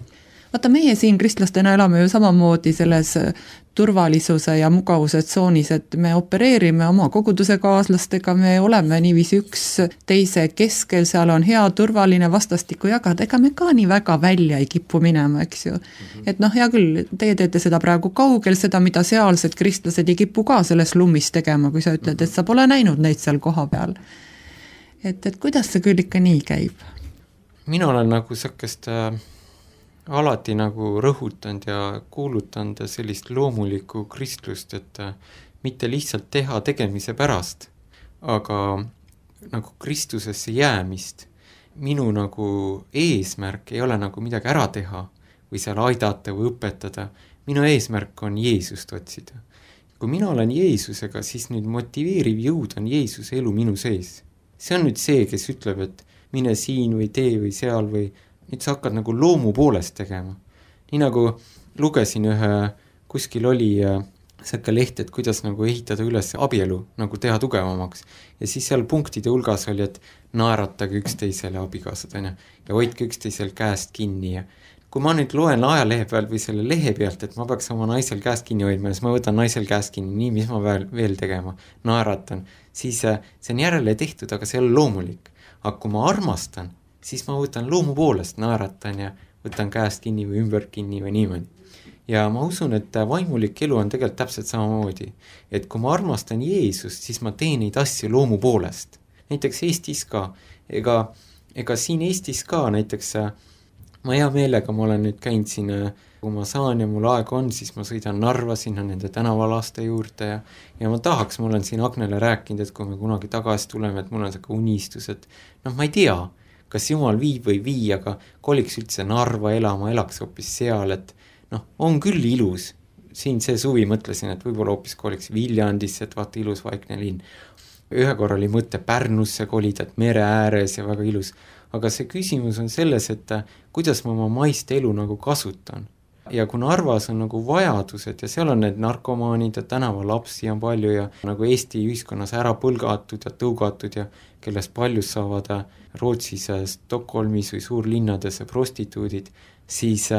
Speaker 2: Vaata, meie siin kristlastena elame ju samamoodi selles turvalisuse ja mugavuse tsoonis, et me opereerime oma koguduse kaaslastega, me oleme niiviisi üks teise keskel, seal on hea turvaline vastastikku jagada, ega me ka nii väga välja ei kipu minema, eks ju. Et hea küll, teie teete seda praegu kaugel, seda mida sealsed kristlased ei kipu ka selles lummis tegema, kui sa ütled, et sa pole näinud neid seal koha peal. Et kuidas see küll ikka nii käib?
Speaker 5: Mina olen nagu sellist alati nagu rõhutanud ja kuulutanud sellist loomulikku kristlust, et mitte lihtsalt teha tegemise pärast, aga nagu Kristusesse jäämist. Minu nagu eesmärk ei ole nagu midagi ära teha või seal aidata või õpetada. Minu eesmärk on Jeesust otsida. Kui mina olen Jeesusega, siis nüüd motiveeriv jõud on Jeesuse elu minu sees. See on nüüd see, kes ütleb, et mine siin või tee või seal või nüüd sa hakkad nagu loomu poolest tegema. Nii nagu lugesin kuskil oli säkke leht, et kuidas nagu ehitada üles abielu, nagu teha tugevamaks. Ja siis seal punktide hulgas oli, et naeratage üksteisele abikaasad, ja hoidke üksteisel käest kinni. Ja kui ma nüüd loen ajalehe pealt või selle lehe pealt, et ma peaks oma naisel käest kinni hoidma ja siis ma võtan naisel käest kinni, nii, mis ma veel tegema, naeratan, siis see on järele tehtud, aga see ei ole loomulik. Aga kui ma armastan, siis ma võtan loomu poolest, naeratan ja võtan käest kinni või ümber kinni või niimoodi. Ja ma usun, et vaimulik elu on tegelikult täpselt samamoodi. Et kui ma armastan Jeesust, siis ma teen neid asju loomu poolest. Näiteks Eestis ka, ega siin Eestis ka näiteks ma hea meelega, ma olen nüüd käinud siin, kui ma saan ja mul aeg on, siis ma sõidan Narva sinna nende tänavalaste juurde ja ma tahaks, ma olen siin Agnele rääkinud, et kui me kunagi tagasi tuleme, et mul on selline unistus, et ma ei tea, kas Jumal viib või vii, aga koliks üldse Narva elama, elaks hoopis seal, et on küll ilus. Siin see suvi mõtlesin, et võib-olla hoopis koliks Viljandisse, et vaata ilus vaikne linn. Ühe korra oli mõte Pärnusse kolida, et mere ääres ja väga ilus. Aga see küsimus on selles, et kuidas ma oma maist elu nagu kasutan. Ja kui Narvas on nagu vajadused ja seal on need narkomaanid ja tänavalapsi on palju ja nagu Eesti ühiskonnas ära põlgatud ja tõugatud ja kellest paljud saavad Rootsis, Stockholmis või suurlinnades prostituudid, siis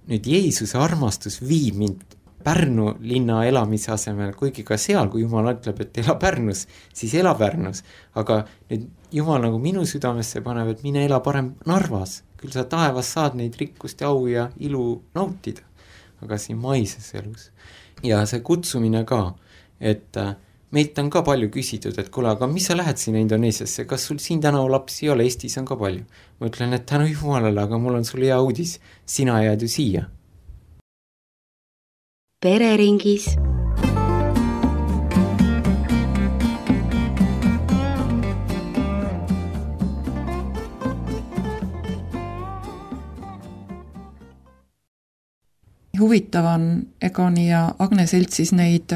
Speaker 5: nüüd Jeesuse armastus viib mind Pärnu linna elamise asemel, kuigi ka seal, kui Jumal ütleb, et ela Pärnus, siis ela Pärnus. Aga nüüd Jumal nagu minu südamesse paneb, et mine ela parem Narvas. Küll sa taevas saad neid rikkust ja au ja ilu nautida, aga siin maises elus. Ja see kutsumine ka, et meilt on ka palju küsitud, et kuule, aga mis sa lähed sinna Indoneesiasse, kas sul siin tänavalapsi ei ole, Eestis on ka palju. Ma ütlen, et tänu Jumalale, aga mul on sulle hea uudis, sina jääd ju siia.
Speaker 6: Pereringis.
Speaker 2: Huvitav on Egoni ja Agne seltsis neid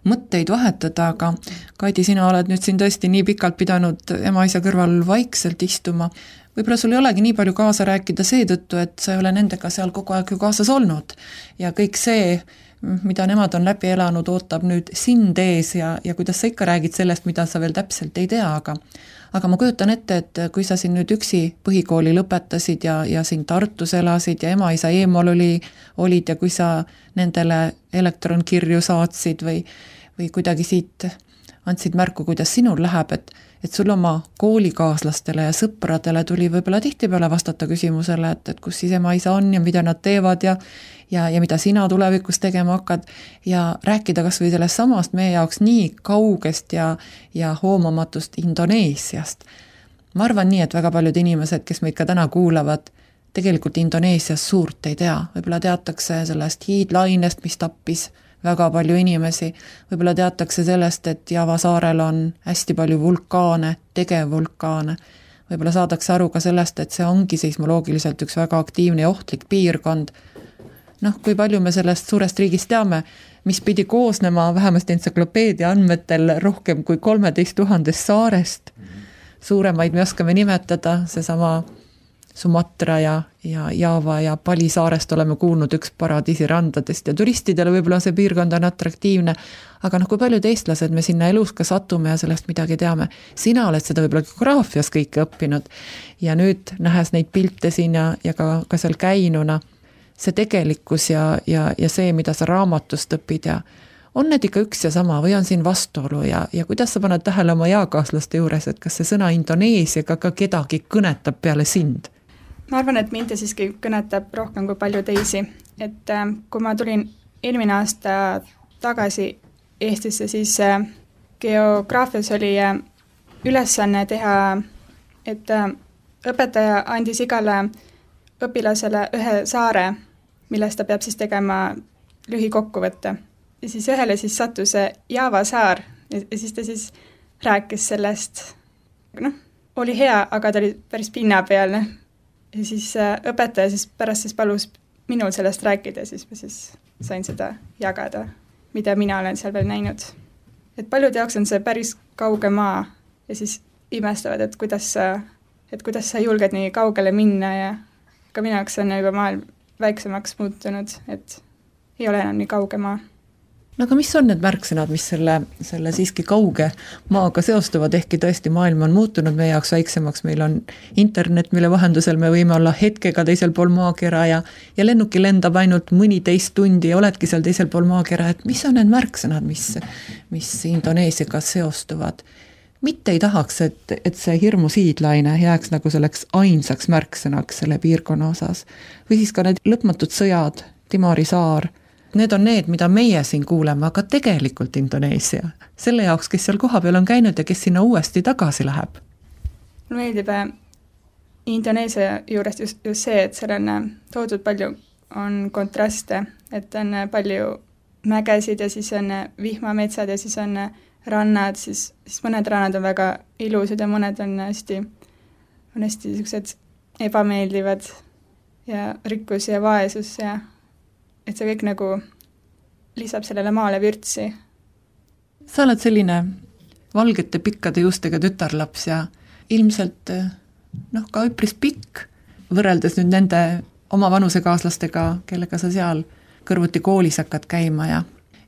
Speaker 2: mõtteid vahetada, aga Kaidi, sina oled nüüd siin tõesti nii pikalt pidanud ema-isa kõrval vaikselt istuma. Võib-olla sul ei olegi nii palju kaasa rääkida seetõttu, et sa ei ole nendega seal kogu aeg ju kaasas olnud. Ja kõik see, mida nemad on läbi elanud, ootab nüüd sind ees ja kuidas sa ikka räägid sellest, mida sa veel täpselt ei tea, aga ma kujutan ette, et kui sa siin nüüd üksi põhikooli lõpetasid ja siin Tartus elasid ja ema-isa eemal olid ja kui sa nendele elektronkirju saatsid või kuidagi siit andsid märku, kuidas sinul läheb, et sul oma koolikaaslastele ja sõpradele tuli võib-olla tihtipeale vastata küsimusele, et kus siis ema-isa on ja mida nad teevad ja mida sina tulevikus tegema hakkad ja rääkida kas või sellest samast meie jaoks nii kaugest ja hoomamatust Indoneesiast. Ma arvan nii, et väga paljud inimesed, kes meid ka täna kuulavad, tegelikult Indoneesias suurt ei tea. Võib-olla teatakse sellest hiidlainest, mis tappis väga palju inimesi. Võib-olla teatakse sellest, et Java saarel on hästi palju vulkaane, tegevvulkaane. Võib-olla saadakse aru ka sellest, et see ongi seismoloogiliselt üks väga aktiivne ja ohtlik piirkond. Kui palju me sellest suurest riigist teame, mis pidi koosnema vähemasti entsüklopeedia andmetel rohkem kui 13 000 saarest. Suuremaid me oskame nimetada, seesama Sumatra ja Java ja Pali saarest oleme kuulnud üks paradiisirandadest ja turistidele võib-olla see piirkond on atraktiivne, aga kui paljud eestlased me sinna elus ka satume ja sellest midagi teame. Sina oled seda võib-olla geograafias kõike õppinud ja nüüd nähes neid pilte siin ja ka seal käinuna, see tegelikkus ja see, mida sa raamatust õpid ja on need ikka üks ja sama või on siin vastuolu ja kuidas sa paned tähele oma jaakaaslaste juures, et kas see sõna Indoneesiaga ka kedagi kõnetab peale sind?
Speaker 4: Ma arvan, et mind siiski kõnetab rohkem kui palju teisi, et kui ma tulin eelmine aasta tagasi Eestisse, siis geograafias oli ülesanne teha, et õpetaja andis igale õpilasele ühe saare, millest ta peab siis tegema lühikokkuvõtte. Ja siis ühele siis sattus Java saar ja siis ta siis rääkis sellest, oli hea, aga ta oli päris pinnapealne. Ja siis õpetaja siis pärast siis palus minul sellest rääkida, siis ma siis sain seda jagada, mida mina olen seal veel näinud. Et paljud jaoks on see päris kauge maa ja siis imestavad, et kuidas sa julged nii kaugele minna ja ka minu jaoks on juba maailm väiksemaks muutunud, et ei ole enam nii kauge maa.
Speaker 2: no aga mis on need märksõnad, mis selle siiski kauge maaga seostuvad, ehkki tõesti maailm on muutunud meie jaoks väiksemaks, meil on internet, mille vahendusel me võime olla hetkega teisel pool maakera ja lennuki lendab ainult mõniteist tundi ja oledki seal teisel pool maakera, et mis on need märksõnad, mis Indoneesiaga seostuvad? Mitte ei tahaks, et see hirmu siidlaine jääks nagu selleks ainsaks märksõnaks selle piirkonna osas. Või siis ka need lõpmatud sõjad, Timori saar, need on need, mida meie siin kuuleme, aga tegelikult Indoneesia, selle jaoks, kes seal kohapeal on käinud ja kes sinna uuesti tagasi läheb.
Speaker 4: Mulle meeldib Indoneesia juurest just see, et seal on toodud palju, on kontraste, et on palju mägesid ja siis on vihmametsad ja siis on rannad, siis mõned rannad on väga ilusad ja mõned on hästi sellised ebameeldivad ja rikkus ja vaesus ja et see kõik nagu lisab sellele maale vürtsi.
Speaker 2: Sa oled selline valgete pikkade juustega tütarlaps ja ilmselt ka üpris pikk, võrreldes nüüd nende oma vanusekaaslastega, kellega sa seal kõrvuti koolis hakkad käima ja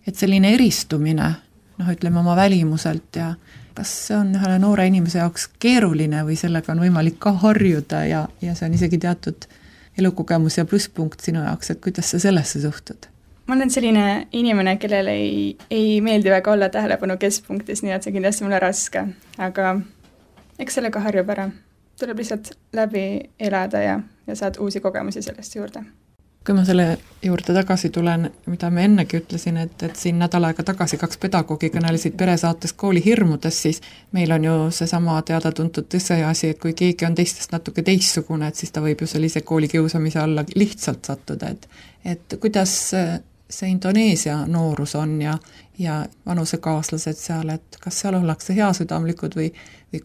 Speaker 2: et selline eristumine, ütleme oma välimuselt ja kas see on ühele noore inimese jaoks keeruline või sellega on võimalik ka harjuda ja see on isegi teatud elukogemus ja plusspunkt sinu jaoks, et kuidas sa sellesse suhtud?
Speaker 4: Ma olen selline inimene, kellel ei meeldi väga olla tähelepanu keskpunktis, nii et see kindlasti mulle raske, aga eks sellega harjub ära. Tuleb lihtsalt läbi elada ja saad uusi kogemusi sellest juurde.
Speaker 2: Kui ma selle juurde tagasi tulen, mida me ennegi ütlesin, et siin nädal aega tagasi 2 pedagoogi kõnelesid peresaates kooli hirmudest, siis meil on ju seesama teada-tuntud tõseasi, et kui keegi on teistest natuke teistsugune, et siis ta võib ju sellise koolikiusamise alla lihtsalt sattuda, et kuidas see Indoneesia noorus on ja vanusekaaslased seal, et kas seal ollakse heasüdamlikud või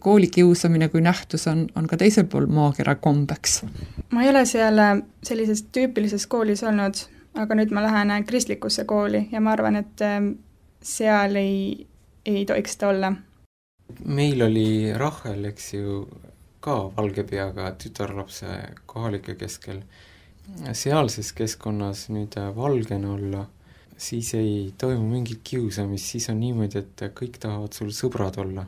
Speaker 2: koolikiusamine kui nähtus on ka teisel pool maakera kombeks?
Speaker 4: Ma ei ole seal sellises tüüpilises koolis olnud, aga nüüd ma lähen kristlikusse kooli ja ma arvan, et seal ei tohiks seda olla.
Speaker 5: Meil oli Rahel, eks ju, ka valge peaga tütarlapse kohalike keskel. Sealses keskkonnas nüüd valgena olla, siis ei toimu mingit kiusamist, siis on niimoodi, et kõik tahavad sul sõbrad olla.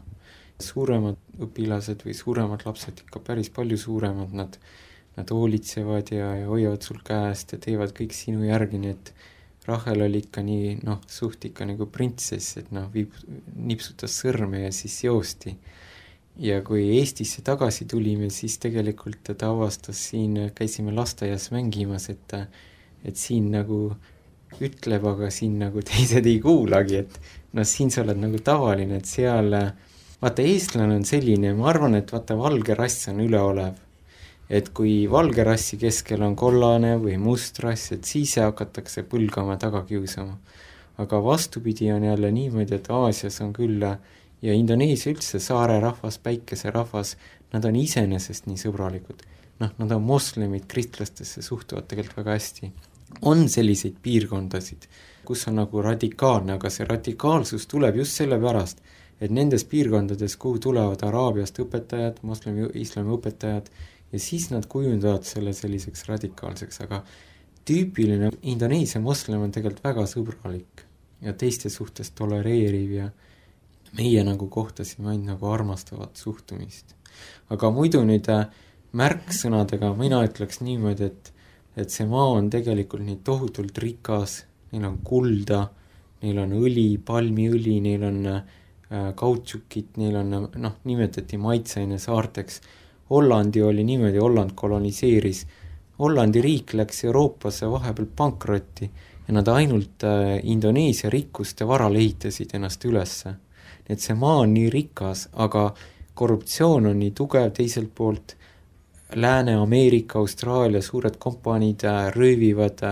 Speaker 5: Suuremad õpilased või suuremad lapsed, ikka päris palju suuremad, nad hoolitsevad ja hoiavad sul käest ja teevad kõik sinu järgi, nii et Rahel oli ikka nii, suht ikka nagu printsess, et nipsutas sõrme ja siis joosti. Ja kui Eestisse tagasi tulime, siis tegelikult ta avastas siin, käisime lasteaias mängimas, et siin nagu ütleb, aga siin nagu teised ei kuulagi, et siin sa oled nagu tavaline, et seal, vaata eestlane on selline, ma arvan, et vaata valge rass on üleolev. Et kui valge rassi keskel on kollane või must rass, et siis hakatakse põlgama taga kiusama. Aga vastupidi on jälle niimoodi, et Aasias on küll ja Indoneesia üldse saare rahvas, päikese rahvas, nad on iseenesest nii sõbralikud. Nad on moslemid, kristlastesse suhtuvad tegelikult väga hästi. On selliseid piirkondasid, kus on nagu radikaalne, aga see radikaalsus tuleb just selle pärast, et nendes piirkondades, kuhu tulevad Araabiast õpetajad, islami õpetajad, ja siis nad kujundavad selle selliseks radikaalseks, aga tüüpiline Indoneesia moslem on tegelikult väga sõbralik ja teiste suhtes tolereeriv ja meie nagu kohtasime ainult nagu armastavat suhtumist. Aga muidu nüüd märksõnadega mina ütleks niimoodi, et see maa on tegelikult nii tohutult rikas, neil on kulda, neil on õli, palmiõli, neil on kautsukit, neil on, nimetati maitseaine saarteks. Hollandi oli niimoodi, Holland koloniseeris. Hollandi riik läks Euroopasse vahepeal pankrotti ja nad ainult Indoneesia rikkuste varal ehitasid ennast ülesse. Et see maa on nii rikas, aga korruptsioon on nii tugev teiselt poolt. Lääne-Ameerika, Austraalia suured kompaniid röövivad,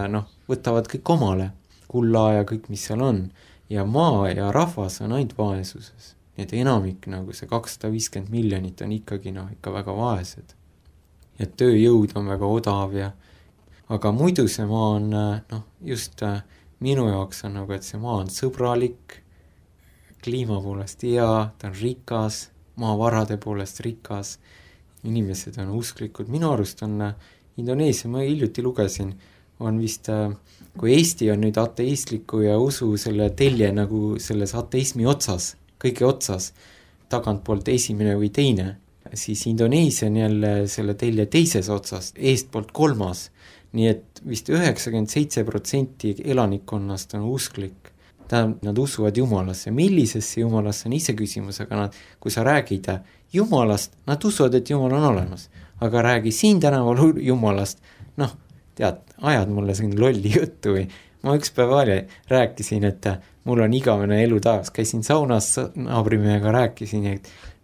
Speaker 5: võtavad kõik omale, kulla ja kõik, mis seal on. Ja maa ja rahvas on ainult vaesuses. Nii et enamik, nagu see 250 miljonit on ikkagi ikka väga vaesed. Ja tööjõud on väga odav aga muidu see maa on, just minu jaoks on et see maa on sõbralik, kliima poolest hea, ta on rikas, maavarade poolest rikas, inimesed on usklikud. Minu arust on Indoneesia, ma hiljuti lugesin, on vist, kui Eesti on nüüd ateistliku ja usu selle telje nagu selles ateismi otsas, kõige otsas, tagantpoolt esimene või teine, siis Indoneesia on jälle selle telje teises otsas, eestpoolt kolmas. Nii et vist 97% elanikkonnast on usklik. Nad usuvad Jumalasse. Millisesse Jumalasse on ise küsimus, aga nad, kui sa räägid Jumalast, nad usuvad, et Jumal on olemas. Aga räägi siin tänaval Jumalast, tead, ajad mulle siin lolli juttu või ma üks päev rääkisin, et mul on igavene elu taas, käisin saunas naabrimehega, rääkisin,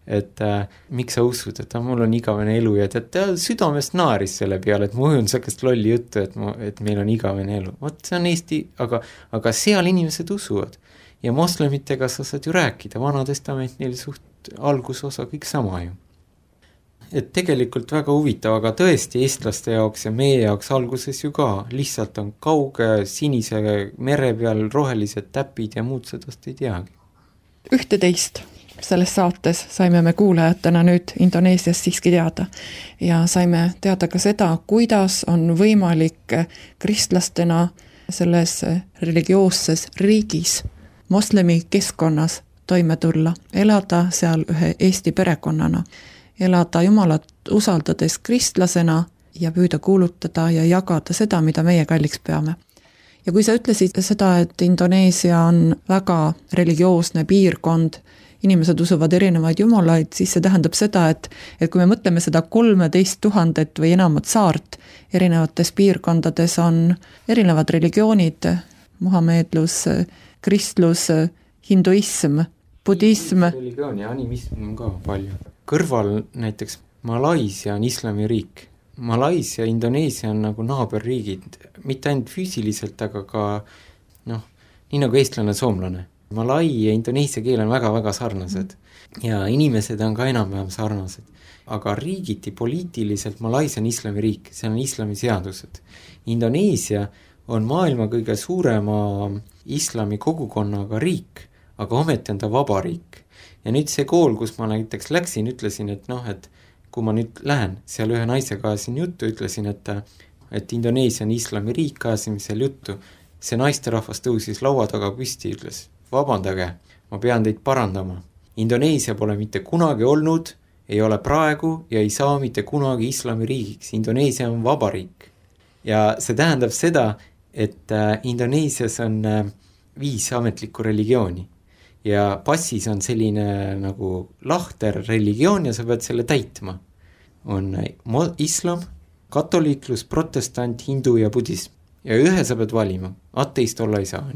Speaker 5: et miks sa usud, et mul on igavene elu ja tead, südamest naaris selle peale, et ma ujun sellist lolli juttu, et meil on igavene elu. Vot see on Eesti, aga seal inimesed usuvad ja moslemitega sa saad ju rääkida, Vana Testament neil suht algusosa kõik sama ju. Et tegelikult väga huvitav, aga tõesti eestlaste jaoks ja meie jaoks alguses ju ka, lihtsalt on kauge sinise mere peal rohelised täpid ja muud sedast ei teagi.
Speaker 2: Ühte teist selles saates saime me kuulajatena nüüd Indoneesias siiski teada ja saime teada ka seda, kuidas on võimalik kristlastena selles religioosses riigis, moslemi keskkonnas toime tulla, elada seal ühe Eesti perekonnana, elada Jumalat usaldades kristlasena ja püüda kuulutada ja jagada seda, mida meie kalliks peame. Ja kui sa ütlesid seda, et Indoneesia on väga religioosne piirkond, inimesed usuvad erinevaid jumalaid, siis see tähendab seda, et kui me mõtleme seda 13 000 või enamat saart, erinevates piirkondades on erinevad religioonid, muhameedlus, kristlus, hinduism, budism.
Speaker 5: Religioon ja animism on ka palju. Kõrval näiteks Malaisia on islamiriik. Malaisia ja Indoneesia on nagu naaberriigid, mitte ainult füüsiliselt, aga ka nii nagu eestlane, soomlane. Malai ja Indoneesia keel on väga-väga sarnased ja inimesed on ka enam-vähem sarnased. Aga riigiti poliitiliselt Malaisia on islamiriik, see on islami seadused. Indoneesia on maailma kõige suurema islami kogukonnaga riik, aga ometi on ta vabariik. Ja nüüd see kool, kus ma näiteks läksin, ütlesin, et kui ma nüüd lähen, seal ühe naisega ajasin juttu, ütlesin, et Indoneesia on islamiriik, ajasime seal juttu. See naisterahvas tõusis laua taga püsti, ütles, vabandage, ma pean teid parandama. Indoneesia pole mitte kunagi olnud, ei ole praegu ja ei saa mitte kunagi islamiriigiks. Indoneesia on vabariik. Ja see tähendab seda, et Indoneesias on 5 ametlikku religiooni. Ja passis on selline nagu lahter religioon ja sa pead selle täitma. On islam, katoliiklus, protestant, hindu ja budism. Ja ühe sa pead valima. Ateist olla ei saa.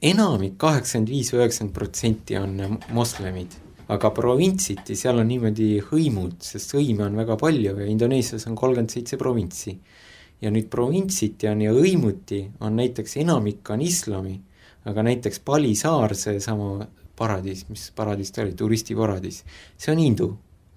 Speaker 5: Enamik 85-90% on moslemid. Aga provintsiti seal on niimoodi hõimud, sest hõime on väga palju ja Indoneesias on 37 provintsi. Ja nüüd provintsiti on ja hõimuti on näiteks enamik on islami, aga näiteks Bali saar, see sama paradiis, mis paradiis ta oli, turistiparadiis, see on hindu.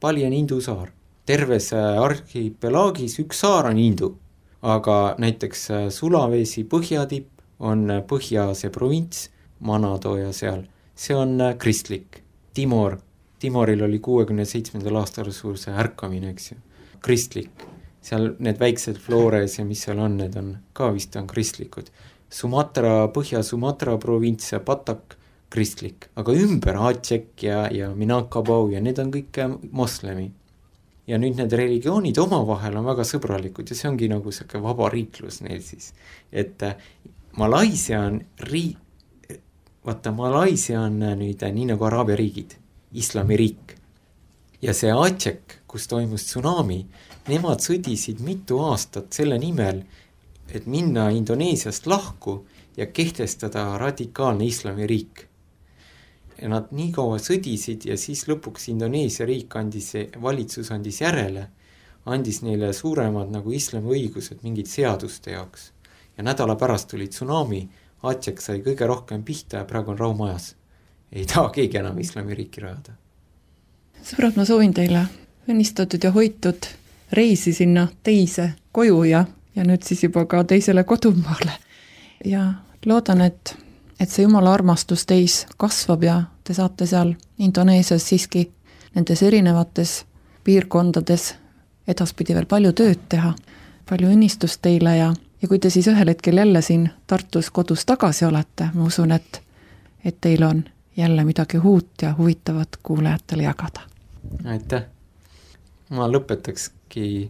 Speaker 5: Bali on hindu saar. Terves arhipelaagis üks saar on hindu, aga näiteks Sulawesi põhjatipp on Põhja-Aasia provints, Manado ja seal, see on kristlik. Timoril oli 67. aastal suur see ärkamine, eks ju, kristlik. Seal need väiksed Flores ja mis seal on, need on ka vist on kristlikud. Põhja-Sumatra provints ja Batak kristlik, aga ümber Aceh ja Minangkabau ja need on kõik moslemi. Ja nüüd need religioonid omavahel on väga sõbralikud ja see ongi nagu selline vabariiklus neil siis. Et Malaisia on Malaisia on nüüd nii nagu Araabia riigid, islamiriik. Ja see Aceh, kus toimus tsunami, nemad sõdisid mitu aastat selle nimel, et minna Indoneesiast lahku ja kehtestada radikaalne islamiriik. Ja nad nii kaua sõdisid ja siis lõpuks Indoneesia riik valitsus andis järele, andis neile suuremad nagu islami õigused mingid seaduste jaoks. Ja nädala pärast tuli tsunami, Aceh sai kõige rohkem pihta ja praegu on raumajas. Ei taha keegi enam islamiriiki rajada.
Speaker 2: Sõbrad, ma soovin teile õnnistatud ja hoitud reisi sinna teise koju ja nüüd siis juba ka teisele kodumaale. Ja loodan, et see Jumala armastus teis kasvab ja te saate seal Indoneesias siiski nendes erinevates piirkondades edaspidi veel palju tööd teha. Palju õnnistust teile ja ja kui te siis ühel hetkel jälle siin Tartus kodus tagasi olete, ma usun, et teil on jälle midagi uut ja huvitavat kuulajatele jagada.
Speaker 5: Aitäh! Ma lõpetakski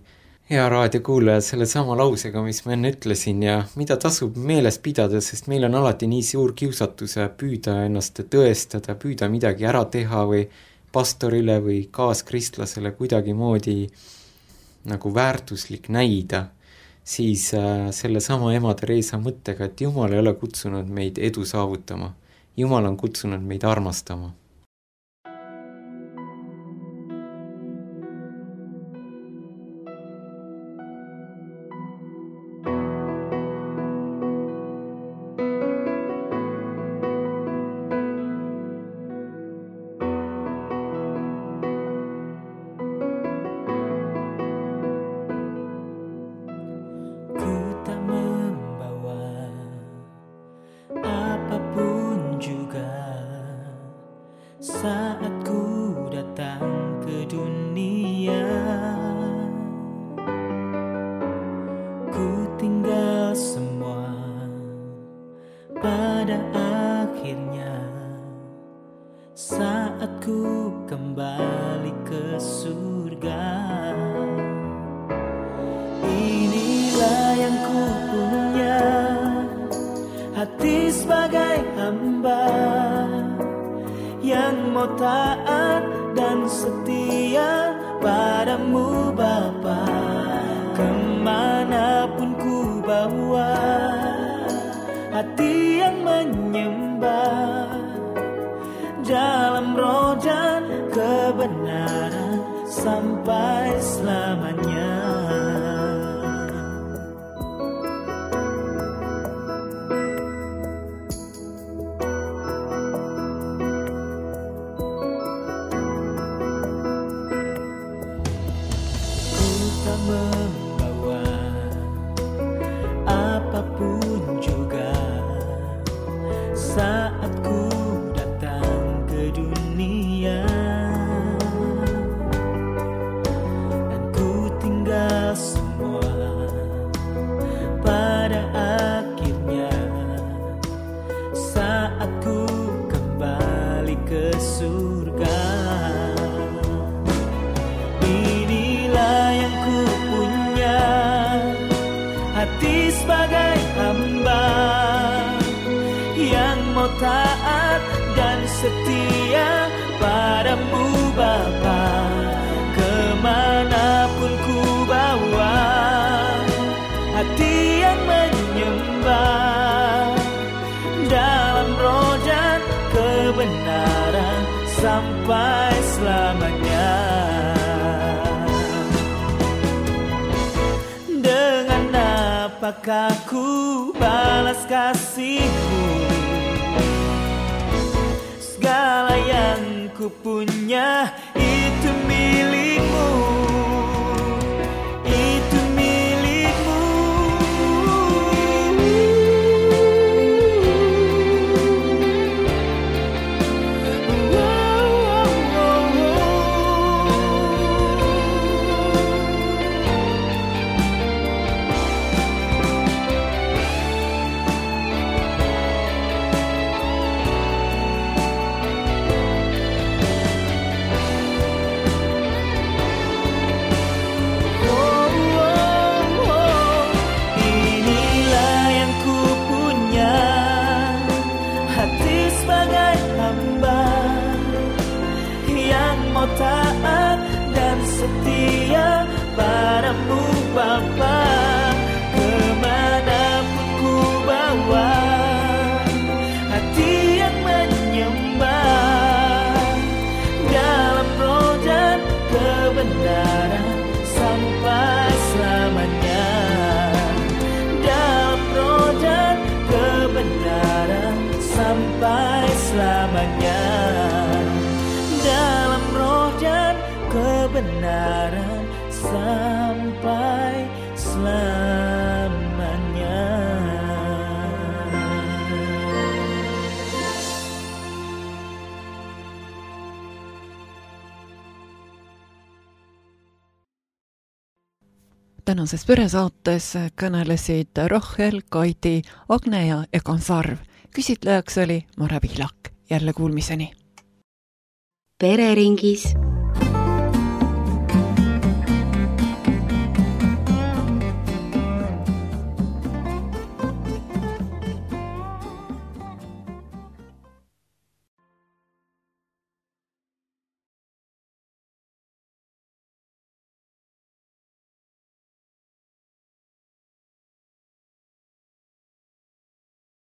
Speaker 5: hea raadiokuulaja selle sama lausega, mis ma enne ütlesin ja mida tasub meeles pidada, sest meil on alati nii suur kiusatus püüda ennast tõestada, püüda midagi ära teha või pastorile või kaaskristlasele kuidagi moodi nagu väärtuslik näida, siis selle sama ema Theresa mõttega, et Jumal ei ole kutsunud meid edu saavutama. Jumal on kutsunud meid armastama.
Speaker 7: Sampai selamanya. Dengan apakah ku balas kasihmu? Segala yang ku punya itu milikmu. Itu milikmu. Taat dan setia padamu Bapa, kemanapun ku bawa hati yang menyembah dalam roh dan kebenaran sampai selamanya. Dalam roh dan kebenaran sampai selamanya. Dalam roh dan kebenaran sampai selamanya.
Speaker 2: tänases peresaates kõnelesid Rachel, Kaidi, Agne ja Egon Sarv. Küsitlejaks oli Mare Pihlak. Jälle kuulmiseni.
Speaker 6: Pereringis